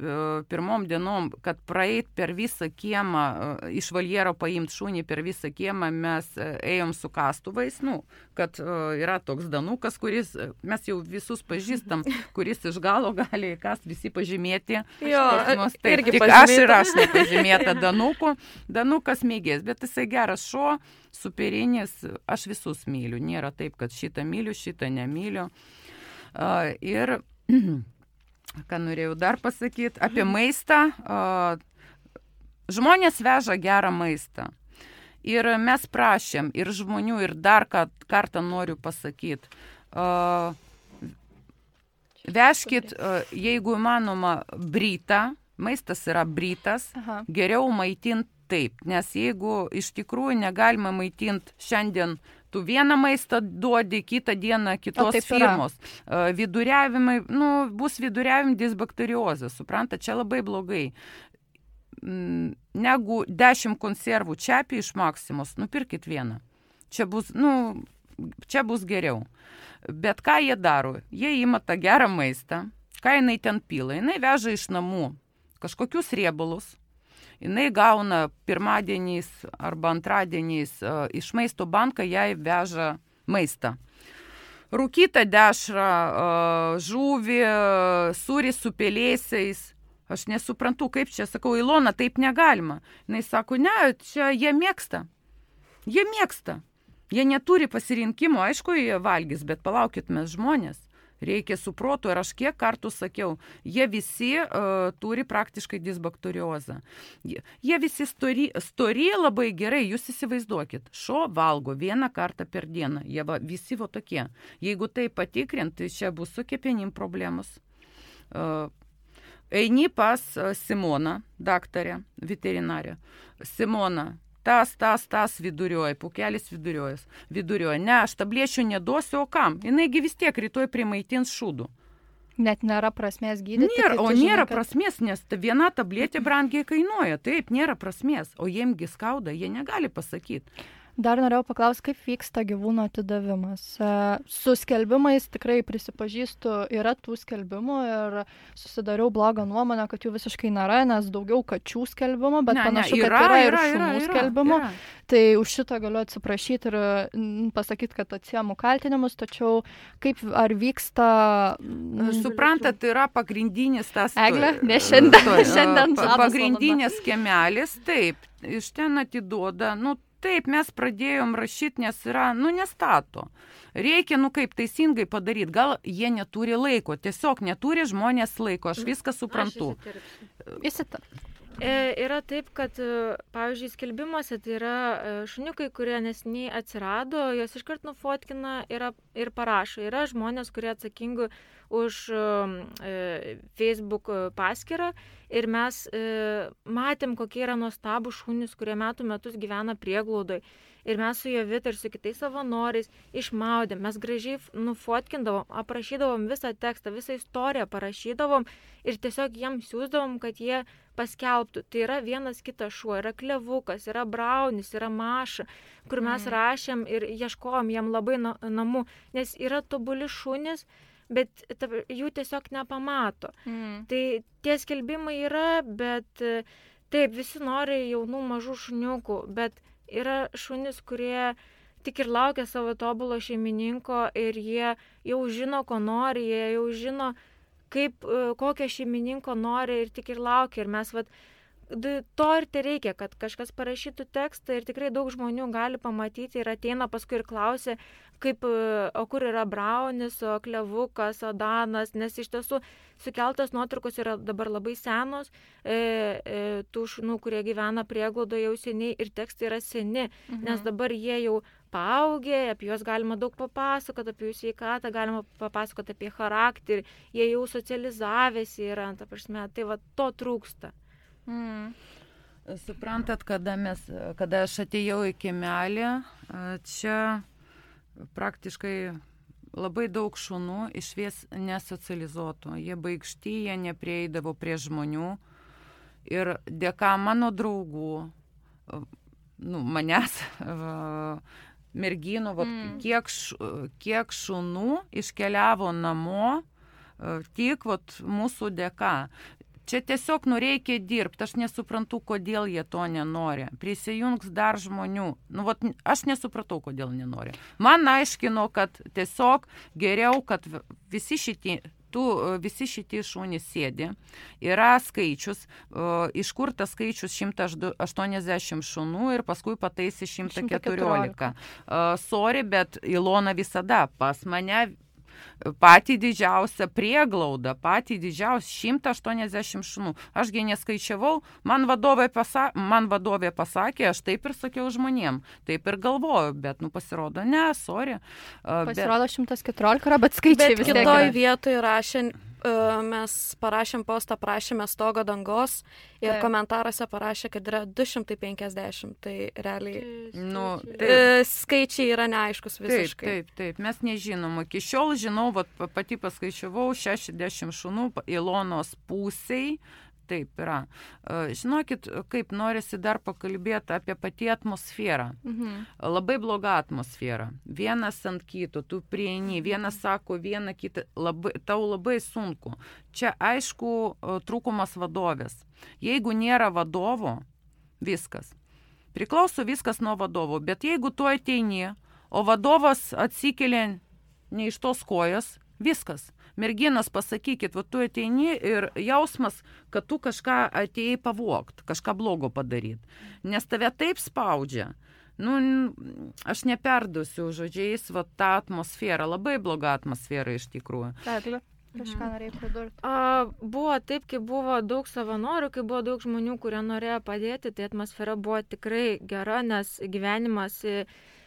pirmom dienom, kad praeit per visą kiemą, iš valjero paimti šunį per visą kiemą, mes ėjom su kastuvais, nu, kad yra toks danukas, kuris, mes jau visus pažįstam, kuris iš galo gali kas visi pažymėti. Jo, mus, taip, irgi tik pažymėta. Aš ir aš nepažymėta danuku. Danukas mėgės, bet jisai geras šuo, superinis, aš visus myliu. Nėra taip, kad šitą myliu, šitą nemyliu. Uh, ir, ką norėjau dar pasakyti, apie maistą. Uh, žmonės veža gerą maistą. Ir mes prašėm ir žmonių, ir dar kartą noriu pasakyti, uh, vežkit, uh, jeigu įmanoma, brytą, maistas yra brytas, Aha. geriau maitinti taip, nes jeigu iš tikrųjų negalima maitinti šiandien, tu vieną maistą duodi, kitą dieną kitos firmos. Uh, viduriavimai, nu, bus viduriavim disbakteriozės, supranta, čia labai blogai. Negu dešimt konservų čiapi iš Maksimos, nupirkit vieną. Čia bus, nu, čia bus geriau. Bet ką jie daro? Jie ima tą gerą maistą, ką jinai ten pila. Jinai veža iš namų kažkokius riebalus. Jinai gauna pirmadieniais arba antradieniais uh, iš maisto banką, jai veža maistą. Rūkytą dešrą, uh, žuvį, uh, sūrį su pelėsiais. Aš nesuprantu, kaip čia, sakau, Ilona, taip negalima. Jis sako, ne, čia jie mėgsta. Jie mėgsta. Jie neturi pasirinkimo, aišku, jie valgys, bet palaukit mes žmonės. Reikia su protu, ir aš kiek kartų sakiau, jie visi uh, turi praktiškai disbakteriozą. Jie, jie visi stori, stori labai gerai, jūs įsivaizduokit. Šuo valgo vieną kartą per dieną. Jie va, visi va tokie. Jeigu tai patikrinti, čia bus su kepenim problemos. Uh, Eini pas Simoną, daktarę, veterinarę. Simona, tas, tas, tas vidurioja, pukelis viduriojas. Vidurioja, ne, aš tablėčių neduosiu, o kam? Jinaigi vis tiek rytoj primaitins šūdų. Net nėra prasmės gydyti. Nėra, o žinai, nėra kad... prasmės, nes viena tabletė brangiai kainuoja. Taip, nėra prasmės, o jiemgi skauda, jie negali pasakyti. Dar norėjau paklausti, kaip vyksta gyvūno atidavimas. Su skelbimais tikrai prisipažįstu, yra tų skelbimų ir susidariau blogą nuomonę, kad jų visiškai nėra, nes daugiau kačių skelbimų, bet ne, panašu, ne, yra, kad yra, yra ir šunų yra, skelbimų. Yra. Tai už šitą galiu atsiprašyti ir pasakyti, kad atsiemu kaltinimus, tačiau kaip ar vyksta... Suprantat, tai yra pagrindinis tas... Eglė, ne šiandien. To, šiandien pagrindinis kiemelis, taip, iš ten atiduoda, nu, taip, mes pradėjom rašyti, nes yra, nu, nestato. Reikia, nu, kaip teisingai padaryti. Gal jie neturi laiko, tiesiog neturi žmonės laiko, aš viską suprantu. Įsitarp. E, yra taip, kad, pavyzdžiui, skelbimuose tai yra šuniukai, kurie nesiniai atsirado, jos iškart nufotkina ir, ir parašo. Yra žmonės, kurie atsakingi už e, Facebook paskyrą ir mes e, matėm, kokie yra nuostabų šunys, kurie metų metus gyvena prieglaudoj. Ir mes su Jovita ir su kitais savanoriais išmaudėm, mes gražiai nufotkindavom, aprašydavom visą tekstą, visą istoriją parašydavom ir tiesiog jiems siūsdavom, kad jie paskelbtų. Tai yra vienas kitas šuo, yra Klevukas, yra Braunis, yra Maša, kur mes mm. rašėm ir ieškojom jam labai na, namų, nes yra tobuli šunys, bet ta, jų tiesiog nepamato. Mm. Tai tie skelbimai yra, bet taip, visi nori jaunų mažų šuniukų, bet yra šunys, kurie tik ir laukia savo tobulo šeimininko ir jie jau žino, ko nori, jie jau žino, kaip, kokio šeimininko nori ir tik ir laukia. Ir mes vat, to ir tai reikia, kad kažkas parašytų tekstą ir tikrai daug žmonių gali pamatyti ir ateina paskui ir klausia, kaip, o kur yra Braunis, o Klevukas, o Danas, nes iš tiesų sukeltos nuotraukos yra dabar labai senos, e, e, tų šunų, kurie gyvena prieglaudoje jau seniai ir tekstai yra seni, mhm. nes dabar jie jau paaugę, apie juos galima daug papasakoti, apie jų sveikatą, galima papasakoti apie charakterį, jie jau socializavęsi yra, ta prasme, tai va to trūksta. Mm. Suprantat, kada, mes, kada aš atėjau į kiemelį, čia praktiškai labai daug šunų išvies nesocializuotų. Jie baigšti, jie neprieidavo prie žmonių. Ir dėka mano draugų, nu, manęs, merginų, vat, mm. kiek, kiek šunų iškeliavo namo, tik vat, mūsų dėka. Čia tiesiog nu reikia dirbti, aš nesuprantu, kodėl jie to nenori. Prisijungs dar žmonių. Nu, vat, aš nesupratau, kodėl nenori. Man aiškino, kad tiesiog geriau, kad visi šitie, tu, visi šitie šunys sėdi. Yra skaičius, uh, iš kur tas skaičius šimtas aštuoniasdešimt šunų ir paskui pataisi šimtas keturiolika. Uh, sorry, bet Ilona visada pas mane patį didžiausią prieglaudą, patį didžiausią šimtas aštuoniasdešimt šunų. Ašgi neskaičiavau, man vadovė, pasa, man vadovė pasakė, aš taip ir sakiau žmonėm, taip ir galvoju, bet nu pasirodo, ne, sorry. Pasirodo šimtas keturiolika, bet skaičiai vis tiek. Bet kitoj vietoj rašė, mes parašėm postą, prašėme stogo dangos ir taip. Komentaruose parašė, kad yra du šimtai penkiasdešimt, tai realiai nu, skaičiai yra neaiškus visiškai. Taip, taip, taip, mes nežinom. Iki šiol žinau, vat, pati paskaičiavau šešiasdešimt šunų Ilonos pusiai. Taip yra. Žinokit, kaip norisi dar pakalbėti apie patį atmosferą. Mhm. Labai bloga atmosfera. Vienas ant kito, tu prieini, vienas sako vieną kitą, labai, tau labai sunku. Čia aišku trūkumas vadovės. Jeigu nėra vadovo, viskas. Priklauso viskas nuo vadovo, bet jeigu tu ateini, o vadovas atsikelia ne iš tos kojas, viskas. Merginos, pasakykit, va tu ateini ir jausmas, kad tu kažką atėjai pavogt, kažką blogo padaryti. Nes tave taip spaudžia. Nu, aš neperduosiu žodžiais, va tą atmosferą, labai bloga atmosfera iš tikrųjų. Taip, kažką norėjai pridurti. A, buvo taip, kai buvo daug savanorių, kai buvo daug žmonių, kurie norėjo padėti, tai atmosfera buvo tikrai gera, nes gyvenimas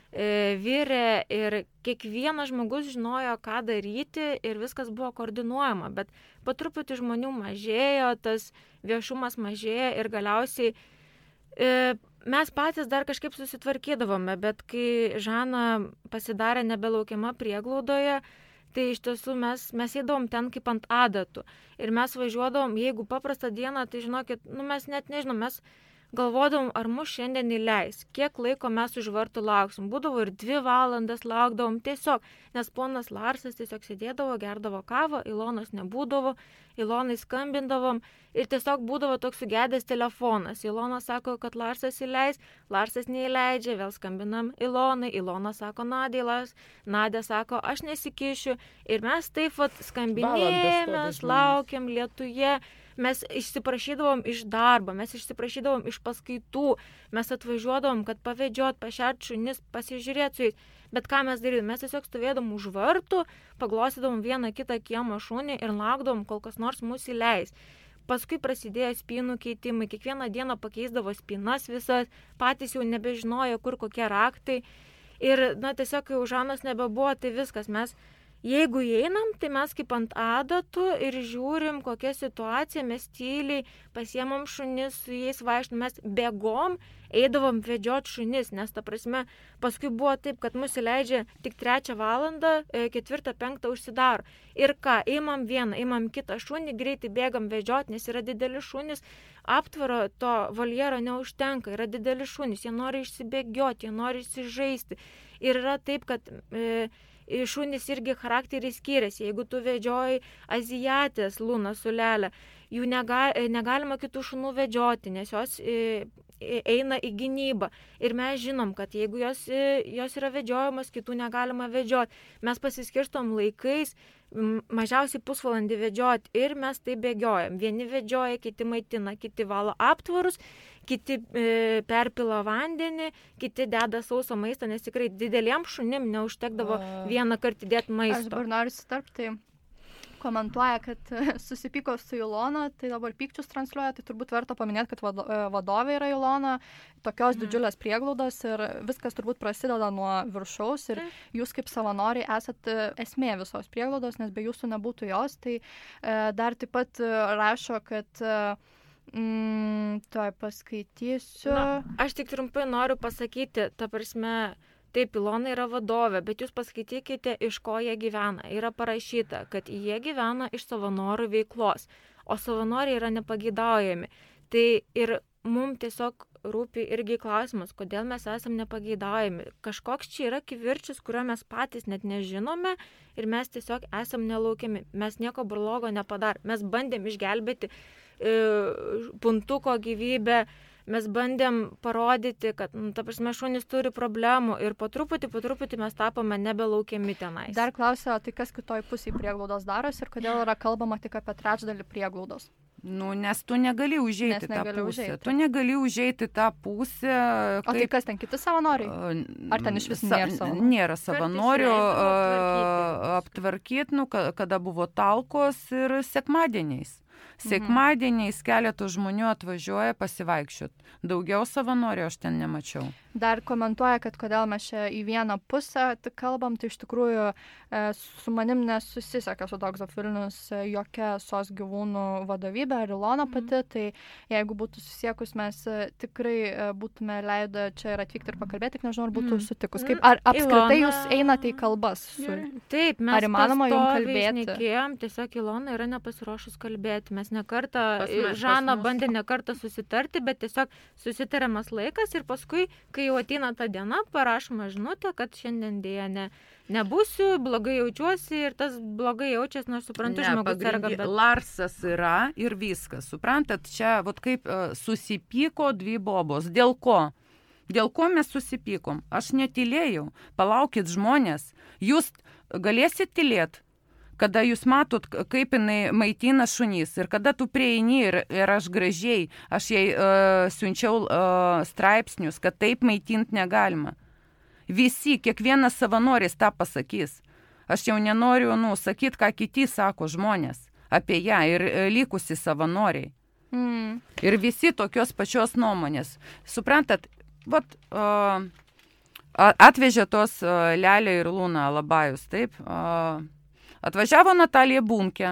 virė ir kiekvienas žmogus žinojo, ką daryti ir viskas buvo koordinuojama, bet po truputį žmonių mažėjo, tas viešumas mažėjo ir galiausiai e, mes patys dar kažkaip susitvarkydavome, bet kai Žana pasidarė nebelaukiama prieglaudoje, tai iš tiesų mes, mes eidavom ten kaip ant adatų ir mes važiuodavom, jeigu paprastą dieną, tai žinokit, nu mes net nežinom, mes galvodavom, ar mus šiandien įleis, kiek laiko mes už vartų lauksim. Būdavo ir dvi valandas laukdavom tiesiog, nes ponas Larsas tiesiog sėdėdavo, gerdavo kavą, Ilonos nebūdavo, Ilonai skambindavom ir tiesiog būdavo toks sugedęs telefonas. Ilona sako, kad Larsas įleis, Larsas neįleidžia, vėl skambinam Ilonai, Ilona sako Nadė, Lars, Nadė sako, aš nesikišiu ir mes taip vat skambinėjomės, laukiam lietuje. Mes išsiprašydavom iš darbo, mes išsiprašydavom iš paskaitų, mes atvažiuodavom, kad pavedžiot, pašert šunis, pasižiūrėt su jais. Bet ką mes darydavom? Mes tiesiog stovėdavom už vartų, paglostydavom vieną kitą kiemo šunį ir laukdavom, kol kas nors mus įleis. Paskui prasidėjo spynų keitimai, kiekvieną dieną pakeisdavo spynas visas, patys jau nebežinojo, kur kokie raktai. Ir, na, tiesiog, kai Žanos nebebuvo, tai viskas, mes Jeigu įeinam, tai mes kaip ant adatų ir žiūrim, kokia situacija, mes tyliai pasiemam šunis, su jais vaikštam, mes bėgom, eidavom vedžiot šunis, nes ta prasme, paskui buvo taip, kad mus įleidžia tik trečią valandą, ketvirtą, penktą užsidaro. Ir ką, imam vieną, imam kitą šunį, greitai bėgam vedžiot, nes yra dideli šunis, aptvaro to voljero neužtenka, yra dideli šunis, jie nori išsibėgioti, jie nori išsižaisti. Ir yra taip, kad e, šunys irgi charakteriai skiriasi. Jeigu tu vedžioji azijatės Luną su Lele, jų nega, negalima kitų šunų vedžioti, nes jos e, eina į gynybą. Ir mes žinom, kad jeigu jos, e, jos yra vedžiojamos, kitų negalima vedžioti. Mes pasiskirstom laikais, mažiausiai pusvalandį vedžioti ir mes tai bėgiojam. Vieni vedžioja, kiti maitina, kiti valo aptvarus, kiti e, perpila vandenį, kiti deda sausą maistą, nes tikrai dideliem šunim neužtekdavo vieną kartą dėti maisto. Aš dabar noriu sutarpti, komentuoja, kad susipyko su Ilona, tai dabar pykčius transliuoja, tai turbūt verta paminėti, kad vado, vadovė yra Ilona, tokios mm. didžiulės prieglaudos ir viskas turbūt prasideda nuo viršaus ir mm. jūs kaip savanoriai esat esmė visos prieglaudos, nes be jūsų nebūtų jos, tai e, dar taip pat rašo, kad e, mm, toj paskaitysiu. Na, aš tik trumpai noriu pasakyti, ta prasme, taip, Ilona yra vadovė, bet jūs paskaitykite, iš ko jie gyvena. Yra parašyta, kad jie gyvena iš savanorių veiklos, o savanoriai yra nepageidaujami. Tai ir mums tiesiog rūpi irgi klausimas, kodėl mes esam nepageidaujami. Kažkoks čia yra kivirčius, kurio mes patys net nežinome ir mes tiesiog esam nelaukiami. Mes nieko blogo nepadar. Mes bandėm išgelbėti e, puntuko gyvybę. Mes bandėm parodyti, kad, nu, ta prasme, šunys turi problemų ir po truputį, po truputį mes tapome nebelaukiami tenais. Dar klausia, tai kas kitoj pusėje prieglaudos darosi ir kodėl yra kalbama tik apie trečdalį prieglaudos? Nu, nes tu negali užeiti tą pusę. Užeiti. Tu negali užeiti tą pusę. Kaip... O tai kas ten, kiti savanoriai? Ar ten iš vis nėra savanorių? Nėra savanorių. Aptvarkyti, nu, kada buvo talkos ir sekmadieniais. Sekmadieniais keletų žmonių atvažiuoja pasivaikščiot. Daugiau savanorių aš ten nemačiau. Dar komentuoja, kad kodėl mes čia į vieną pusę kalbam, tai iš tikrųjų e, su manim nesusiseka su Dogs of Vilnius jokia sos gyvūnų vadovybė ar Ilona pati, tai jeigu būtų susiekus, mes tikrai būtume leidę čia ir atvykti ir pakalbėti, tik nežinau, ar būtų sutikus. Kaip, ar apskritai Ilona... jūs einate į kalbas? Su... Taip, mes ar įmanoma jums kalbėti? Šnekėjom, tiesiog Ilona yra nepasiruošus kalbėti. Mes nekartą, Žana bandė nekartą susitarti, bet tiesiog susitariamas laikas ir paskui, kai jau ateina ta diena, parašoma žinutė, kad šiandien dėja ne, nebūsiu, blogai jaučiuosi ir tas blogai jaučiasi, nors suprantu, ne, žmogus serga. Bet... Larsas yra ir viskas. Suprantat, čia vat kaip uh, susipyko dvi bobos. Dėl ko? Dėl ko mes susipykom? Aš netylėjau. Palaukit žmonės. Jūs galėsit tylėti? Kada jūs matot, kaip jinai maitina šunys ir kada tu prieini ir, ir aš gražiai, aš jai uh, siunčiau uh, straipsnius, kad taip maitinti negalima. Visi, kiekvienas savanoris tą pasakys. Aš jau nenoriu, nu, sakyti, ką kiti sako žmonės apie ją ir uh, likusi savanoriai. Mm. Ir visi tokios pačios nuomonės. Suprantat, vat, uh, atvežė tos uh, Lelę ir Luną Alabajus, taip? Uh, Atvažiavo Natalija Bunkė,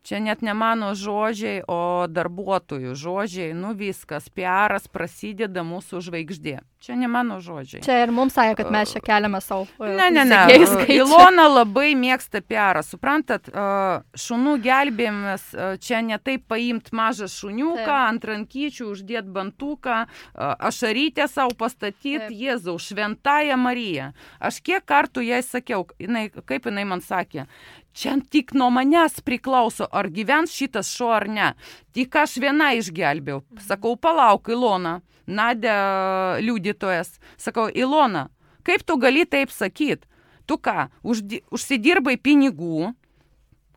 čia net ne mano žodžiai, o darbuotojų žodžiai, nu viskas, P R'as prasideda mūsų žvaigždė. Čia ne mano žodžiai. Čia ir mums sakė, kad mes čia keliame savo. Ne, ne, ne. Ilona labai mėgsta P R'ą. Suprantat, šunų gelbėjimas, čia ne taip paimti mažą šuniuką, taip. Ant rankyčių uždėti bantuką, ašarytę savo pastatyti, Jėzau, šventąją Mariją. Aš kiek kartų jai sakiau, jinai, kaip jinai man sakė, čia tik nuo manęs priklauso, ar gyvens šitas šuo ar ne. Tik aš viena išgelbėjau. Sakau, palauk, Ilona. Nadia liudytojas. Sakau, Ilona, kaip tu gali taip sakyti? Tu ką, uždi, užsidirbai pinigų,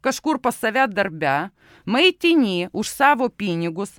kažkur pas save darbe, maitini už savo pinigus,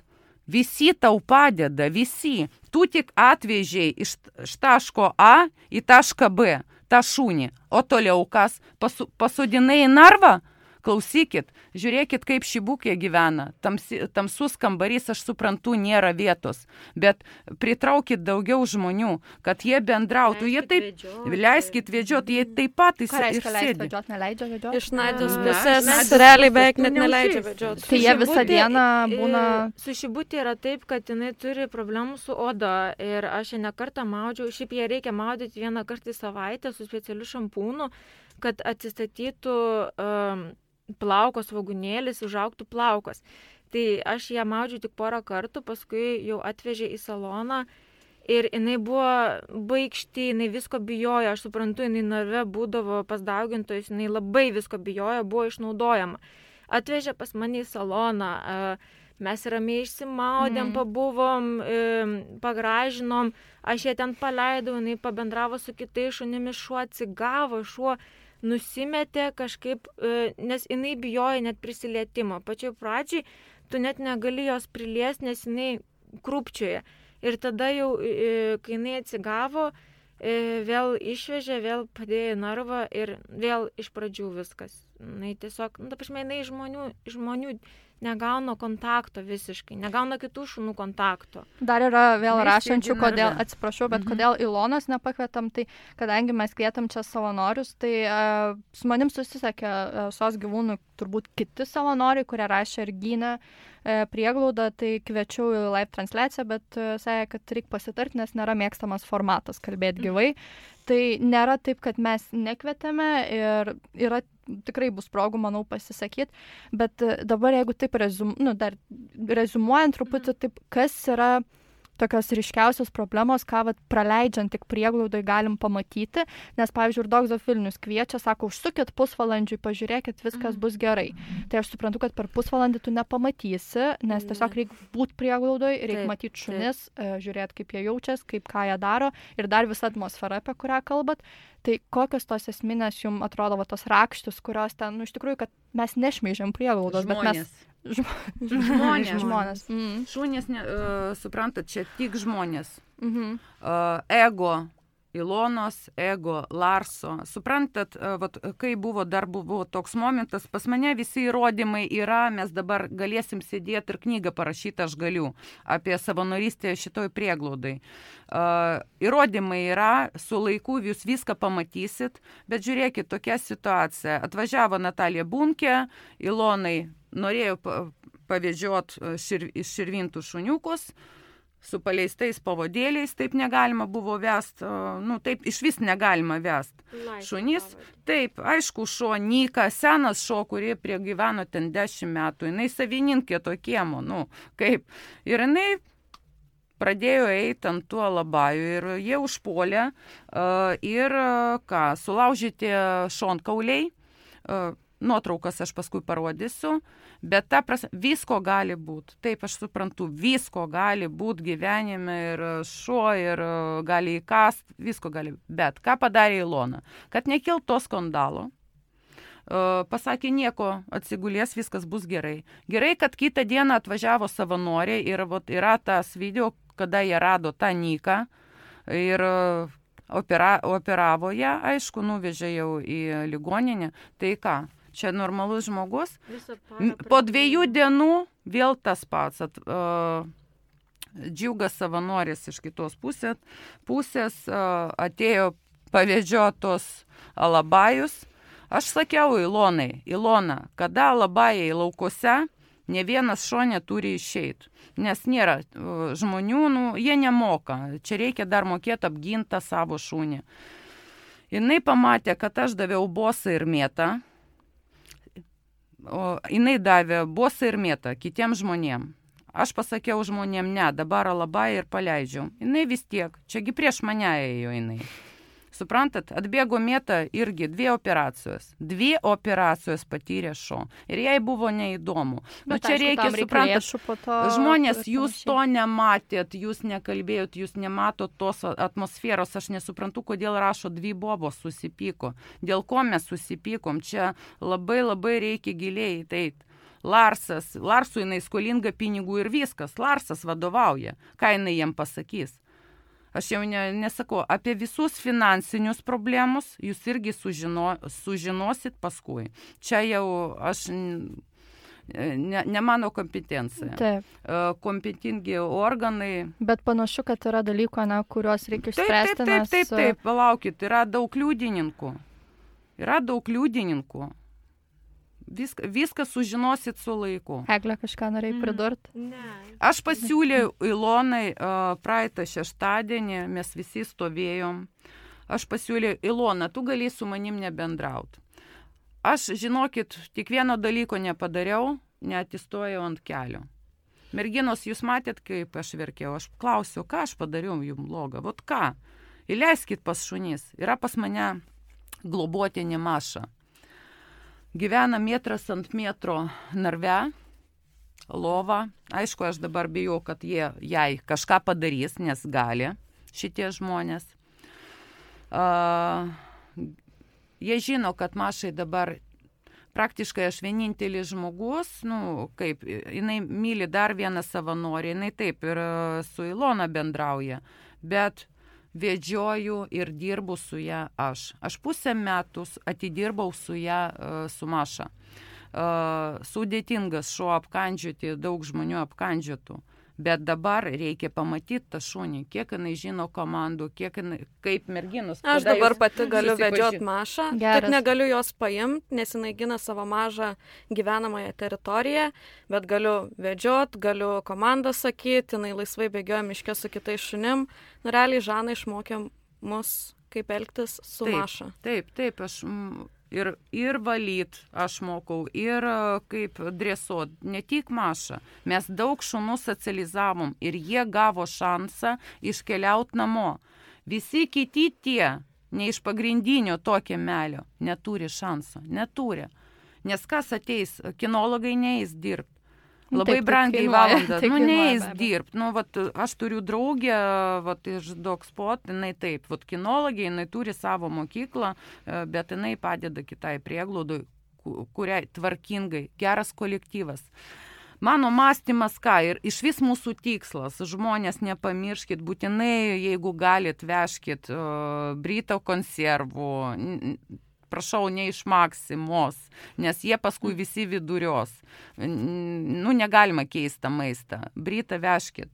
visi tau padeda, visi. Tu tik atvežiai iš, iš taško A į tašką B, tą šunį. O toliau kas, pasu, pasodinai į narvą? klausykit, žiūrėkit, kaip šibukė gyvena. Tamsi, tamsus kambarys, aš suprantu, nėra vietos, bet pritraukit daugiau žmonių, kad jie bendrautų. Jie taip, vedžioti. Leiskit vedžioti, jie taip pat ir sėdi. Ką reiškia leisti vedžioti, neleidžia vedžioti? Iš Nadios pusės realiai beveik net neleidžia vedžioti. Tai jie visą dieną būna... Su šibutė yra taip, kad jinai turi problemų su oda ir aš ją nekartą maudžiau. Šiaip ją reikia maudyti vieną kartą į savaitę su specialiu šampūnu, kad atsistatytų um, plaukos svogūnėlis, užaugtų plaukos. Tai aš ją maudžiu tik porą kartų, paskui jau atvežė į saloną ir jinai buvo baikšti, jinai visko bijojo, aš suprantu, jinai narve būdavo pas daugintojus, jinai labai visko bijojo, buvo išnaudojama. Atvežė pas mane į saloną, mes ramiai išsimaudėm, mm. pabuvom, pagražinom, aš ją ten paleidau, jinai pabendravo su kitais šunimis, šuo atsigavo, šuo nusimetė kažkaip, nes jinai bijojo net prisilietimo. Pačioj pradžiai tu net negali jos priliesti, nes jinai krūpčioja. Ir tada jau, kai jinai atsigavo, vėl išvežė, vėl padėjo narvą ir vėl iš pradžių viskas. Jinai tiesiog, nu, ta prasme, jinai žmonių, žmonių negauna kontakto visiškai, negauna kitų šunų kontakto. Dar yra vėl mes rašančių, kodėl, atsiprašau, bet mhm. kodėl Ilonos nepakvietam, tai kadangi mes kvietam čia savanorius, tai uh, su manim susisiekė uh, sos gyvūnų turbūt kiti savanoriai, kurie rašė ir gynė uh, prieglaudą, tai kviečiau į live transliaciją, bet uh, sakė, kad reikia pasitarti, nes nėra mėgstamas formatas kalbėti gyvai. Mhm. Tai nėra taip, kad mes nekvietėme ir yra tikrai bus progų, manau, pasisakyti, bet dabar jeigu taip rezum, nu, dar rezumuojant truputį, taip, kas yra tokios ryškiausios problemos, ką vat, praleidžiant tik prieglaudai galim pamatyti, nes, pavyzdžiui, ir Dogs of Vilnius kviečia, sako, užsukit pusvalandžiui, pažiūrėkit, viskas bus gerai. Tai aš suprantu, kad per pusvalandį tu nepamatysi, nes tiesiog reikia būti prieglaudoj, reikia matyti šunis, žiūrėti, kaip jie jaučias, kaip ką jie daro ir dar visa atmosfera, apie kurią kalbat. Tai kokios tos esminės jums atrodo va, tos rakštis, kurios ten, nu, iš tikrųjų, kad mes nešmeižiam prieglaudos, bet mes... Žmonės. Žmonės. Mm. Šunės, ne, uh, suprantat, čia tik žmonės. Mm-hmm. Uh, ego Ilonos, ego Larso. Suprantat, uh, vat, kai buvo, dar buvo toks momentas, pas mane visi įrodymai yra, mes dabar galėsim sėdėti ir knygą parašyti, aš galiu, apie savanorystę šitoj prieglaudai. Uh, įrodymai yra, su laiku jūs viską pamatysit, bet žiūrėkit, tokia situacija. Atvažiavo Natalija Bunkė, Ilonai norėjo pavedžiot šir, iš širvintų šuniukus su paleistais pavadėliais, taip negalima buvo vest, nu taip iš vis negalima vest. Šunys, taip, aišku, šuo Nika, senas šuo, kurie prie gyveno ten dešimt metų, jinai savininkė to kiemo, nu kaip, ir jinai pradėjo eiti ant tuo labaju ir jie užpuolė uh, ir uh, ką, sulaužyti šonkauliai, uh, nuotraukas aš paskui parodysiu, bet ta prasme, visko gali būti. Taip, aš suprantu, visko gali būti gyvenime ir šuo, ir gali įkast, visko gali. Bet ką padarė Ilona? Kad nekilt to skandalo, uh, pasakė nieko, atsigulės, viskas bus gerai. Gerai, kad kitą dieną atvažiavo savanoriai ir vat, yra tas video, kada jie rado tą Niką ir uh, opera, operavo ją, aišku, nuvežė jau į ligoninę. Tai ką? Čia normalus žmogus. Po dviejų dienų vėl tas pats. At, uh, džiugas savanoris iš kitos pusės, pusės uh, atėjo pavedžiotos alabajus. Aš sakiau Ilonai, Ilona, kada alabajai laukose, ne vienas šuo neturi išeiti. Nes nėra uh, žmonių, nu, jie nemoka. Čia reikia dar mokėti apgintą savo šunį. Jinai pamatė, kad aš daviau bosą ir mėtą. O jinai davė bosą ir mėtą kitiems žmonėm. Aš pasakiau žmonėm, ne, dabar labai ir paleidžiu. Jinai vis tiek, čiagi prieš mane ėjo jinai. Suprantat, atbėgo mėta irgi dvi operacijos. Dvi operacijos patyrė šuo. Ir jai buvo neįdomu. Nu, čia reikia, suprantat, žmonės, jūs to nematėt, jūs nekalbėjot, jūs nematot tos atmosferos. Aš nesuprantu, kodėl rašo dvi bobos susipyko. Dėl ko mes susipykom? Čia labai labai reikia giliai teit. Larsas, Larsui jinai skolinga pinigų ir viskas. Larsas vadovauja. Ką jinai jam pasakys? Aš jau ne, nesakau, apie visus finansinius problemus jūs irgi sužino, sužinosit paskui. Čia jau aš ne, ne mano kompetencija. Taip. Kompetingi organai. Bet panašu, kad yra dalykų, na, kuriuos reikia išspręsti. Taip, taip, taip, taip, taip, palaukit, yra daug liudininkų. Yra daug liudininkų. Viską, viską sužinosit su laiku. Eglė, kažką norėjai pridurti? Mm. Ne. Aš pasiūliau Ilonai uh, praeitą šeštadienį, mes visi stovėjom. Aš pasiūliau, Ilona, tu gali su manim nebendrauti. Aš, žinokit, tik vieno dalyko nepadariau, neatsistojau ant kelio. Merginos, jūs matėt, kaip aš verkiau. Aš klausiau, ką aš padariau jums blogą. Vot ką? Įleiskit pas šunis. Yra pas mane globotinė Maša. Gyvena metras ant metro narve, lova. Aišku, aš dabar bijau, kad jie jai kažką padarys, nes gali šitie žmonės. Uh, jie žino, kad Mašai dabar praktiškai aš vienintelis žmogus, nu, kaip, jinai myli dar vieną savanorį, jinai taip ir su Ilona bendrauja, bet vedžioju ir dirbu su ją aš. Aš pusę metus atidirbau su ją, su Maša. Sudėtingas šuo apkandžioti, daug žmonių apkandžiotų. Bet dabar reikia pamatyti tą šunį, kiek jinai žino komandų, kiek jinai, kaip merginus. Aš dabar pati galiu vedžioti Mašą, tik negaliu jos paimti, nes jinai gina savo mažą gyvenamąją teritoriją, bet galiu vedžioti, galiu komandą sakyti, jinai laisvai bėgioja miške su kitais šunim. Nu, realiai Žana išmokė mus, kaip elgtis su taip, Maša. Taip, taip, aš... Ir, ir valyt aš mokau, ir kaip dresuot, ne tik Maša. Mes daug šunų socializavom ir jie gavo šansą iškeliauti namo. Visi kiti tie, ne iš pagrindinio to kiemelio, neturi šansą, neturi. Nes kas ateis, kinologai neis dirbti. Labai taip, brangiai valandą, nu neis dirbti. Nu, vat, aš turiu draugę vat, iš Dogspot, jinai taip, vat, kinologija, jinai turi savo mokyklą, bet jinai padeda kitai prieglaudai, kuriai tvarkingai, geras kolektyvas. Mano mąstymas ką, ir iš vis mūsų tikslas, žmonės nepamirškit, būtinai, jeigu galit, vežkit uh, Brito konservų, prašau, ne iš Maksimos, nes jie paskui visi vidurios. Nu, negalima keisti maistą. Britą vežkit.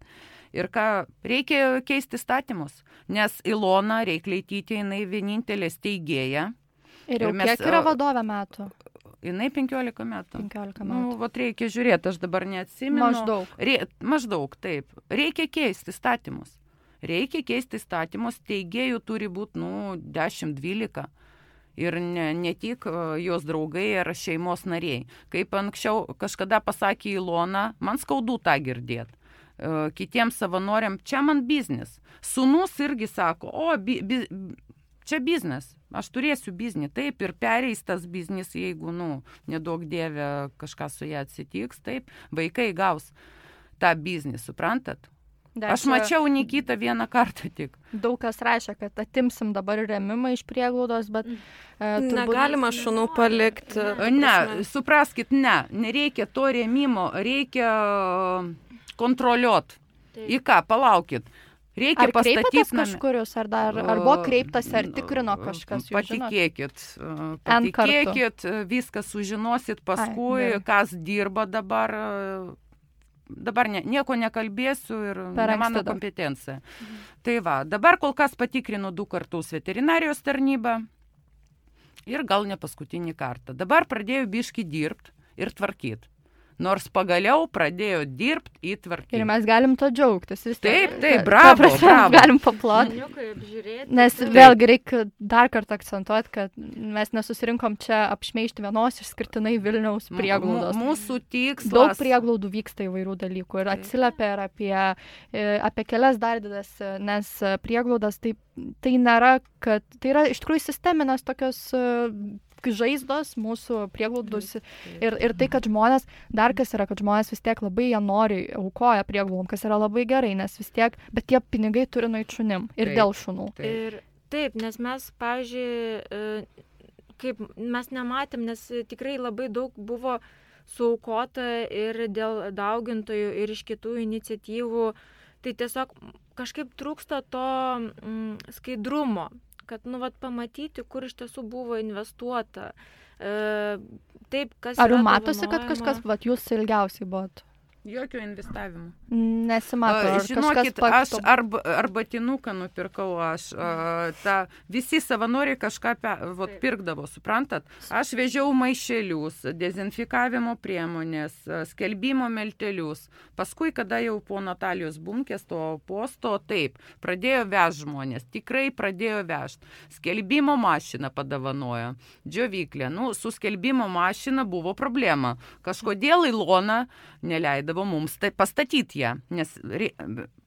Ir ką, reikia keisti statymus, nes Ilona Reikleitytė, jinai vienintelė steigėja. Ir jau ir mes, kiek yra vadovė metų? Jinai penkiolika metų. penkiolika metų. Nu, vat reikia žiūrėti, aš dabar neatsimenu. Maždaug. Re, maždaug, taip. Reikia keisti statymus. Reikia keisti statymus, steigėjų turi būti, nu, dešimt dvylika. Ir ne, ne tik jos draugai ar šeimos nariai. Kaip anksčiau kažkada pasakė Ilona, man skaudu tą girdėti. Kitiems savanoriam, čia man biznis. Sūnus irgi sako, o, bi, bi, čia biznis, aš turėsiu biznį. Taip, ir pereis tas biznis, jeigu, nu, nedaug dievė kažkas su ją atsitiks, taip, vaikai gaus tą biznį, suprantat? Dar aš mačiau Nikitą vieną kartą tik. Daug kas rašė, kad atimsim dabar rėmimą iš prieglaudos, bet... E, turbūt... Negalima šunų palikti. Ne, supraskit, ne, nereikia to rėmimo, reikia kontroliuoti. Į ką, palaukit. Reikia ar kreipėtės kažkurius, ar, dar, ar buvo kreiptas, ar tikrino kažkas? Patikėkit, patikėkit, viską sužinosit paskui, Ai, kas dirba dabar... Dabar ne, nieko nekalbėsiu ir ne mano kompetencija. Mhm. Tai va, dabar kol kas patikrinu du kartus veterinarijos tarnybą ir gal ne paskutinį kartą. Dabar pradėjau biškį dirbti ir tvarkyti. Nors pagaliau pradėjo dirbti į tvarkyti. Ir mes galim to džiaugtis. Vis taip, taip, bravo, prasme, bravo. Galim paploti. Nes taip. Vėlgi reikia dar kartą akcentuoti, kad mes nesusirinkom čia apšmeižti vienos išskirtinai Vilniaus prieglaudos. M- mūsų tikslas. Daug prieglaudų vyksta įvairių dalykų ir atsiliepia ir apie, apie kelias dar didas, nes prieglaudas tai, tai nėra, kad tai yra iš tikrųjų sisteminės tokios žaizdos mūsų prieglaudus ir, ir tai, kad žmonės, dar kas yra, kad žmonės vis tiek labai jie nori aukoja prieglaudom, kas yra labai gerai, nes vis tiek, bet tie pinigai turi nueiti šunim ir taip, dėl šunų. Taip. Ir taip, nes mes, pavyzdžiui, kaip mes nematėm, nes tikrai labai daug buvo suaukota ir dėl daugintojų ir iš kitų iniciatyvų Tai tiesiog kažkaip trūksta to mm, skaidrumo, kad, nu, vat, pamatyti, kur iš tiesų buvo investuota. E, taip, kas Ar jums matosi, kad kažkas, vat, jūs ilgiausiai buvot? Jokio investavimo. Nesimato. Ar žinokit, aš arba, arba tinuką nupirkau, aš a, ta, visi savanoriai kažką pe, vot, pirkdavo, suprantat? Aš vežiau maišelius, dezinfikavimo priemonės, skelbimo meltelius. Paskui, kada jau po Natalijos Bunkės to posto, taip, pradėjo vežti žmonės, tikrai pradėjo vežti. Skelbimo mašiną padavanojo, džiovyklė. Nu, su skelbimo mašina buvo problema. Kažkodėl Ilona neleidavo mums tai pastatyti ją, nes re,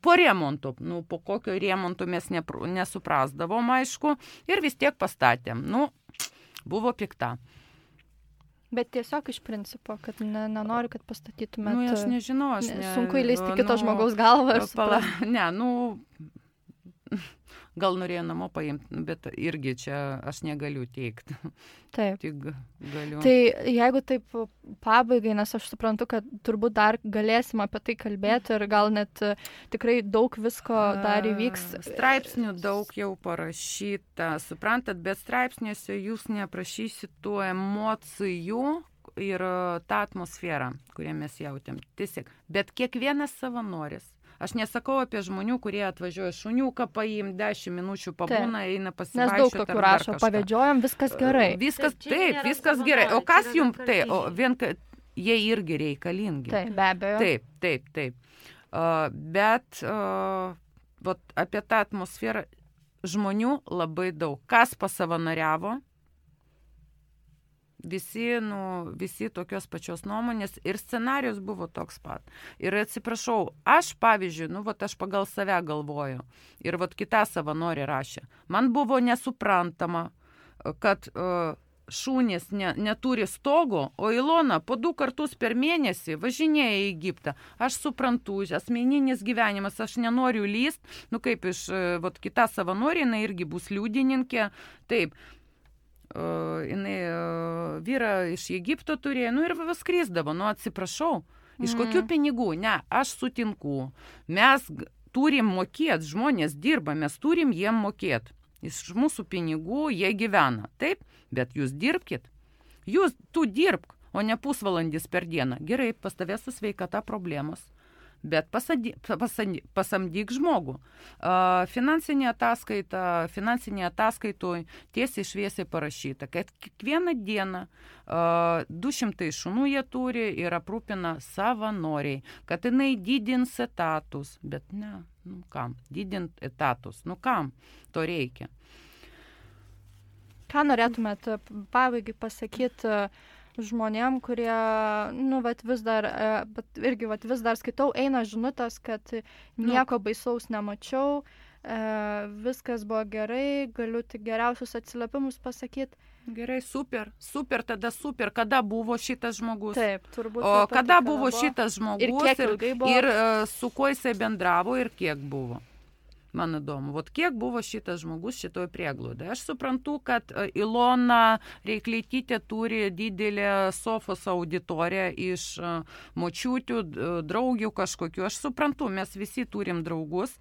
po remonto, nu, po kokio remonto mes nepr, nesuprasdavom, aišku, ir vis tiek pastatėm. Nu, buvo pikta. Bet tiesiog iš principo, kad ne, nenoriu, kad pastatytumėt. Nu, aš nežinau, aš ne... Sunku įleisti kito nu, žmogaus galvą. Pala, ne, nu... Gal norėjo namo paimti, bet irgi čia aš negaliu teikti. Taip. Tik galiu. Tai jeigu taip pabaigai, nes aš suprantu, kad turbūt dar galėsim apie tai kalbėti ir gal net tikrai daug visko dar įvyks. Straipsnių daug jau parašyta, suprantat, bet straipsniuose jūs neaprašysit tų emocijų ir tą atmosferą, kurią mes jautėm. Tiesiog, bet kiekvienas savanoris. Aš nesakau apie žmonių, kurie atvažiuoja šuniuką paim, dešimt minučių pabūna, eina pasivaikščioti. Nes daug tokių rašo, pavedžiojom, viskas gerai. Viskas, taip, viskas gerai. O kas jums, tai, o vien, jie irgi reikalingi. Taip, be abejo. Taip, taip, taip. Uh, bet uh, vat, apie tą atmosferą žmonių labai daug. Kas pasavanoriavo? Visi, nu, visi tokios pačios nuomonės ir scenarijus buvo toks pat. Ir atsiprašau, aš pavyzdžiui, nu, vat aš pagal save galvoju ir vat kita savanorė rašė. Man buvo nesuprantama, kad uh, šunys ne, neturi stogo, o Ilona po du kartus per mėnesį važinėja į Egiptą. Aš suprantu, asmeninis gyvenimas, aš nenoriu lyst, nu kaip iš uh, vat kita savanorė, jinai irgi bus liudininkė, taip. Uh, jinai uh, vyrą iš Egipto turėjo, nu ir skrisdavo, nu atsiprašau, iš mm. kokių pinigų, ne, aš sutinku, mes turim mokėti, žmonės dirba, mes turim jiem mokėti, iš mūsų pinigų jie gyvena, taip, bet jūs dirbkit, jūs, tu dirbk, o ne pusvalandis per dieną, gerai, pas tavę su sveikata problemos. Bet pasadi, pasadi, pasamdyk žmogų. Uh, finansinė ataskaita, finansinė ataskaitoj tiesiai šviesiai parašyta, kad kiekvieną dieną uh, du šimtai šunų jie turi ir aprūpina savanoriai, kad jinai didins etatus. Bet ne, nu kam, didint etatus, nu kam to reikia. Ką norėtumėt pabaigai pasakyti žmonėm, kurie, nu, vat vis dar, bet irgi vat vis dar skaitau, eina žinutės, kad nieko baisaus nemačiau, e, viskas buvo gerai, galiu tik geriausius atsiliepimus pasakyti. Gerai, super, super, tada super. Kada buvo šitas žmogus? Taip, turbūt. O kada buvo šitas žmogus ir, kiek ir, buvo? ir uh, su kuo jisai bendravo ir kiek buvo? Man įdomu, vat kiek buvo šitas žmogus šitoje prieglaudoje. Aš suprantu, kad Ilona Reikleitytė turi didelę sofos auditoriją iš močiutių, draugių kažkokių. Aš suprantu, mes visi turim draugus,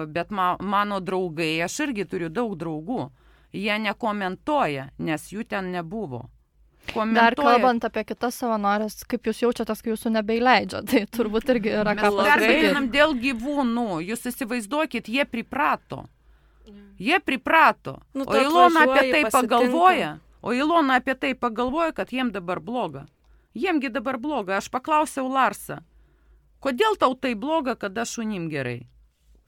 bet ma, mano draugai, aš irgi turiu daug draugų. Jie nekomentuoja, nes jų ten nebuvo. Komentuoja. Dar kalbant apie kitas savanorės, kaip jūs jaučiatės, kai jūsų nebeįleidžia, tai turbūt irgi yra ką pasakyti. Mes pergyvenam dėl gyvūnų, jūs įsivaizduokit, jie priprato. Jie priprato. Nu, o Ilona apie tai pasitinka. pagalvoja, o Ilona apie tai pagalvoja, kad jiem dabar bloga. Jiemgi dabar bloga. Aš paklausiau Larsą, kodėl tau tai bloga, kada šunim gerai?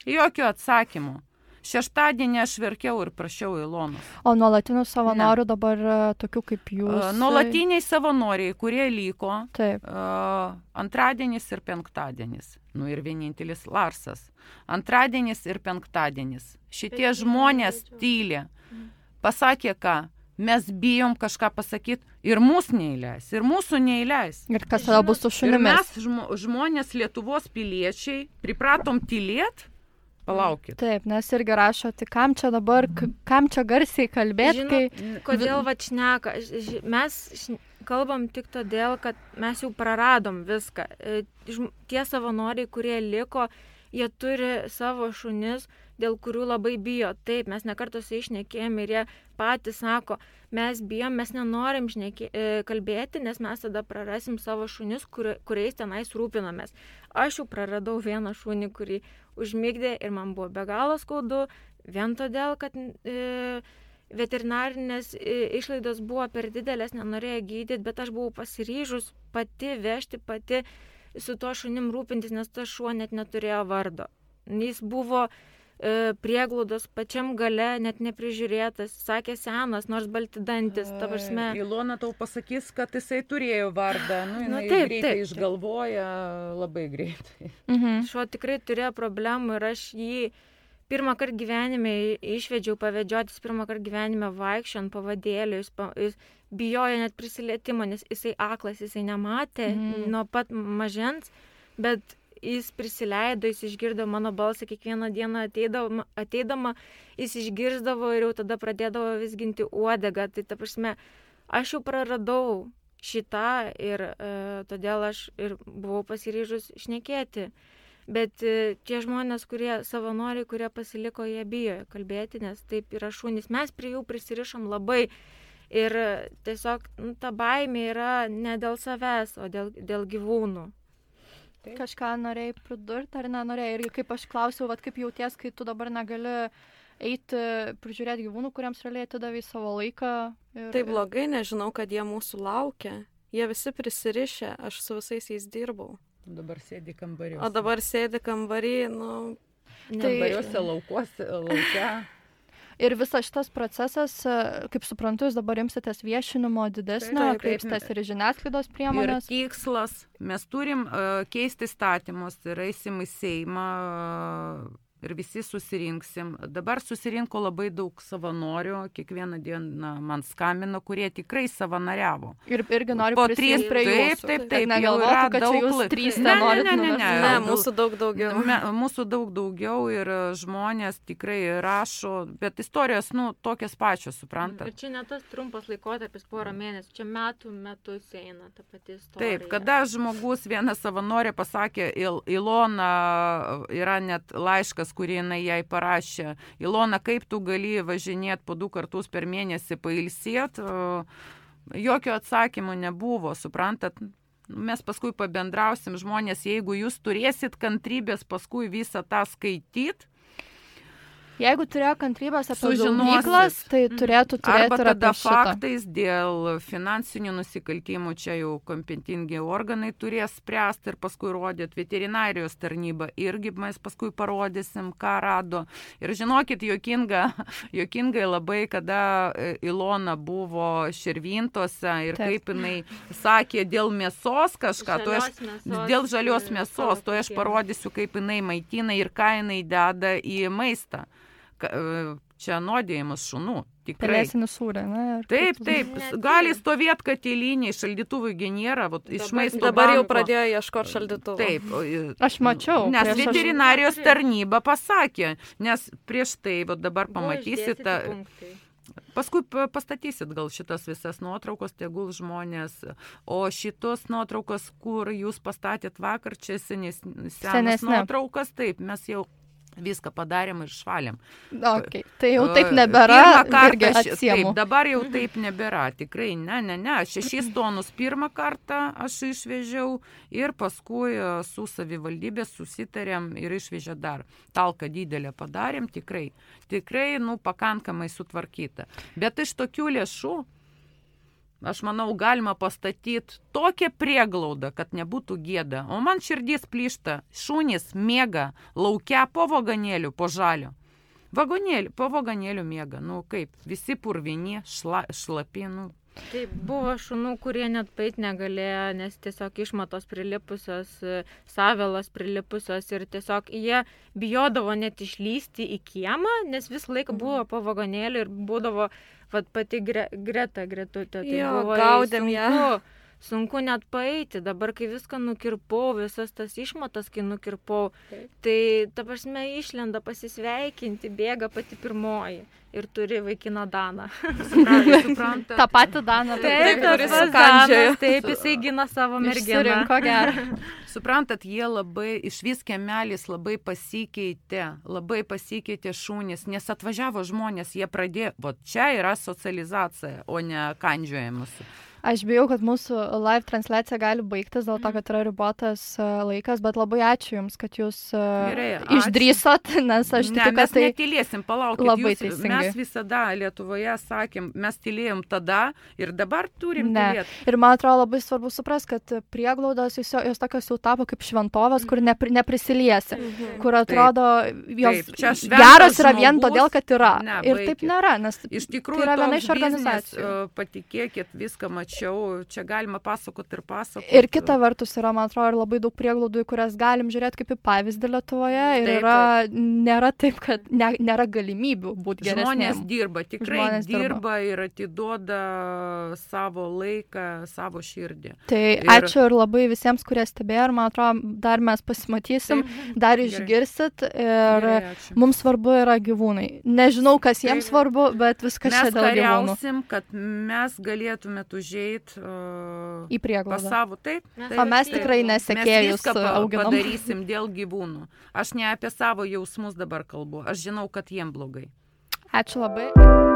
Jokio atsakymo. Šeštadienį aš verkiau ir prašiau Ilonos. O nuolatinių savanorių ne. Dabar tokių kaip jūs? Nuolatiniai savanoriai, kurie liko. Taip. Uh, antradienis ir penktadienis. Nu ir vienintelis Larsas. Antradienis ir penktadienis. Šitie Bet žmonės tyli. Pasakė ką? Mes bijom kažką pasakyti ir mūsų neįleis, ir mūsų neįleis. Ir kas tada bus su šunimis? Ir mes žmo, žmonės, Lietuvos piliečiai, pripratom tylėt. Palaukit. Taip, nes irgi rašo, tai kam čia dabar, kam čia garsiai kalbėti, kai... Kodėl va šneka? Mes kalbam tik todėl, kad mes jau praradom viską. Tie savanoriai, kurie liko, jie turi savo šunis, dėl kurių labai bijo. Taip, mes nekartą su išnekėjom ir jie patys sako, mes bijom, mes nenorim šnekė, kalbėti, nes mes tada prarasim savo šunis, kur, kuriais tenais rūpinamės. Aš jau praradau vieną šunį, kurį užmigdė ir man buvo be galo skaudu, vien todėl, kad e, veterinarinės išlaidos buvo per didelės, nenorėjo gydyti, bet aš buvau pasiryžus pati vežti, pati su tuo šunim rūpintis, nes tas šuo net neturėjo vardo. Jis buvo e, prieglaudos pačiam gale, net neprižiūrėtas, sakė senas, nors balti dantis, ta prasme. Ilona tau pasakys, kad jisai turėjo vardą, nu, nu, jinai taip, greitai taip, išgalvoja, labai greitai. Mhm. Šuo tikrai turėjo problemų ir aš jį pirmą kartą gyvenime išvedžiau pavedžiotis, pirmą kartą gyvenime vaikščiau ant pavadėlio, jis, jis bijojo net prisilietimo, nes jisai aklas, jisai nematė mm. nuo pat mažens, bet jis prisileido, jis išgirdo mano balsą kiekvieną dieną ateidama, ateidama, jis išgirsdavo ir jau tada pradėdavo vis ginti uodegą. Tai ta prasme, aš jau praradau šitą ir e, todėl aš ir buvau pasiryžus šnekėti. Bet e, tie žmonės, kurie savanoriai, kurie pasiliko, jie bijo kalbėti, nes taip yra šunys. Mes prie jų prisirišam labai. Ir tiesiog nu, ta baimė yra ne dėl savęs, o dėl, dėl gyvūnų. Taip. Kažką norėjai pridurti ar nenorėjai? Ir kaip aš klausiau, vat, kaip jauties, kai tu dabar negali eiti, prižiūrėti gyvūnų, kuriems realiai atidavai savo laiką. Ir... Tai blogai, nežinau, kad jie mūsų laukia. Jie visi prisirišę, aš su visais jais dirbau. Dabar sėdi kambariuose. O dabar sėdi kambarį, nu... Kambariuose, tai... laukuose, laukia. Ir visas šitas procesas, kaip suprantu, jūs dabar imsitės viešinimo didesnio, kreipsitės ir žiniasklaidos priemonės. Ir tikslas, mes turim uh, keisti statymus ir eisim į Seimą uh, ir visi susirinksim. Dabar susirinko labai daug savanorių, kiekvieną dieną man skambino, kurie tikrai savanoriavo. Ir irgi noriu prisijungti prie jūsų. Taip, taip, taip. Negalvotų, kad čia jūs trys nenorit ne, ne, ne, ne, ne, mūsų daug daugiau. Me, mūsų daug daugiau ir žmonės tikrai rašo, bet istorijos, nu, tokias pačios, suprantat. Ir čia ne tas trumpas laikotarpis, porą mėnesių, čia metų metus eina ta pati istorija. Taip, kada žmogus, viena savanorė pasakė, Il, Ilona, yra net laiškas, kurį jinai jai parašė. Ilona, kaip tu gali važinėti po du kartus per mėnesį pailsėt? Jokio atsakymo nebuvo, suprantat? Mes paskui pabendrausim žmonės, jeigu jūs turėsit kantrybės paskui visą tą skaityt. Jeigu turėjo kantrybės apie gaudyklas, tai turėtų turėti arba ir tada apie šitą. faktais dėl finansinių nusikaltimų, čia jau kompetentingi organai turės spręsti ir paskui rodyti. Veterinarijos tarnyba irgi mes paskui parodysim, ką rado. Ir žinokit, jokinga, jokingai labai, kada Ilona buvo Širvintose ir Taip. Kaip jinai sakė dėl mėsos kažką, to aš, mėsos, dėl žalios mėsos, to aš parodysiu, kaip jinai maitina ir ką jinai deda į maistą. Čia nuodėjimas šunų. Tikrai. Pelėsinis sūrė, ne? Taip, taip. Gali stovėti katilinį, šaldytuvų nėra, vat, iš maisto Dabar banko. Jau pradėjo ieškoti šaldytuvų. Taip. Aš mačiau. Nes veterinarijos aš... tarnyba pasakė, nes prieš tai, vat, dabar pamatysit, paskui pastatysit gal šitas visas nuotraukos, tegul žmonės, o šitos nuotraukos, kur jūs pastatėt vakar, čia senes, senas nuotraukas, taip, mes jau viską padarėm ir švalėm. Okay. Tai jau taip nebėra, irgi atsiemu. Taip, dabar jau taip nebėra, tikrai, ne, ne, ne. Šešis tonus pirmą kartą aš išvežiau ir paskui su savivaldybės susitarėm ir išvežė dar. Talką didelę padarėm, tikrai, tikrai, nu, pakankamai sutvarkyta. Bet iš tokių lėšų, aš manau, galima pastatyti tokią prieglaudą, kad nebūtų gėda. O man širdis plyšta. Šunys miega laukia po vagonėliu, po žalio. Vagonėliu, po vagonėliu miega. Nu kaip, visi purvini, šla, šlapi, nu. Taip, buvo šunų, kurie net pait negalėjo, nes tiesiog išmatos prilipusios, savelos prilipusios ir tiesiog jie bijodavo net išlysti į kiemą, nes visą laiką buvo po vagonėliu ir būdavo vat, pati gre, Greta Gretutė. Tai jo, buvo gaudėm ją. Sunku, sunku net paeiti. Dabar, kai viską nukirpau, visas tas išmatas, kai nukirpau, tai ta prasme išlenda pasisveikinti, bėga pati pirmoji ir turi vaikiną Daną. Supranta. Ta pati Dana. Taip, taip, Danas, taip, jisai gina savo merginą. Išsirinko gerą. Suprantat, jie labai, išvis kiemelis labai pasikeitė, labai pasikeitė šunys, nes atvažiavo žmonės, jie pradėjo, o čia yra socializacija, o ne kandžiojimas. Aš bijau, kad mūsų live transliacija gali baigtis dėl to, kad yra ribotas laikas, bet labai ačiū Jums, kad Jūs Gerai, išdrįsot, nes aš ne, tikiu, kad tai... Mes netylėsim, palaukit, labai jūs, teisingai. Mes visada Lietuvoje sakėm, mes tylėjom tada ir dabar turim ne. tylėti. Ir man atrodo labai svarbu supras, kad prieglaudos jos, jos tokios jau tapo kaip šventovės, kur nepri, neprisiliesi, mhm. kur atrodo jos taip, geros yra vien žmogus, todėl, kad yra. Ne, ir taip nėra, nes iš tikrųjų, tai yra viena iš organizacijų. Patikėkit, viską mačiau. Čia galima pasakoti ir pasakoti. Ir kita vertus yra, man atrodo, ir labai daug prieglaudų, į kurias galim žiūrėti kaip į pavyzdį Lietuvoje. Ir taip, yra, taip. Nėra taip, kad ne, nėra galimybių būti geresnėm. Žmonės dirba, tikrai Žmonės dirba, dirba ir atiduoda savo laiką, savo širdį. Tai ir... ačiū ir labai visiems, kurie stebėjo. Ir man atrodo, dar mes pasimatysim, taip. Dar išgirsit. Ir Gerai, mums svarbu yra gyvūnai. Nežinau, kas jiems taip. Svarbu, bet viskas čia dėl gyvūnų. Mes kariausim, kad mes galėtumėt užėjti Uh, į prieglaudą. Pasavo, taip, taip, o mes taip, tikrai nesekėjus auginam. Mes padarysim dėl gyvūnų. Aš ne apie savo jausmus dabar kalbu. Aš žinau, kad jiem blogai. Ačiū labai.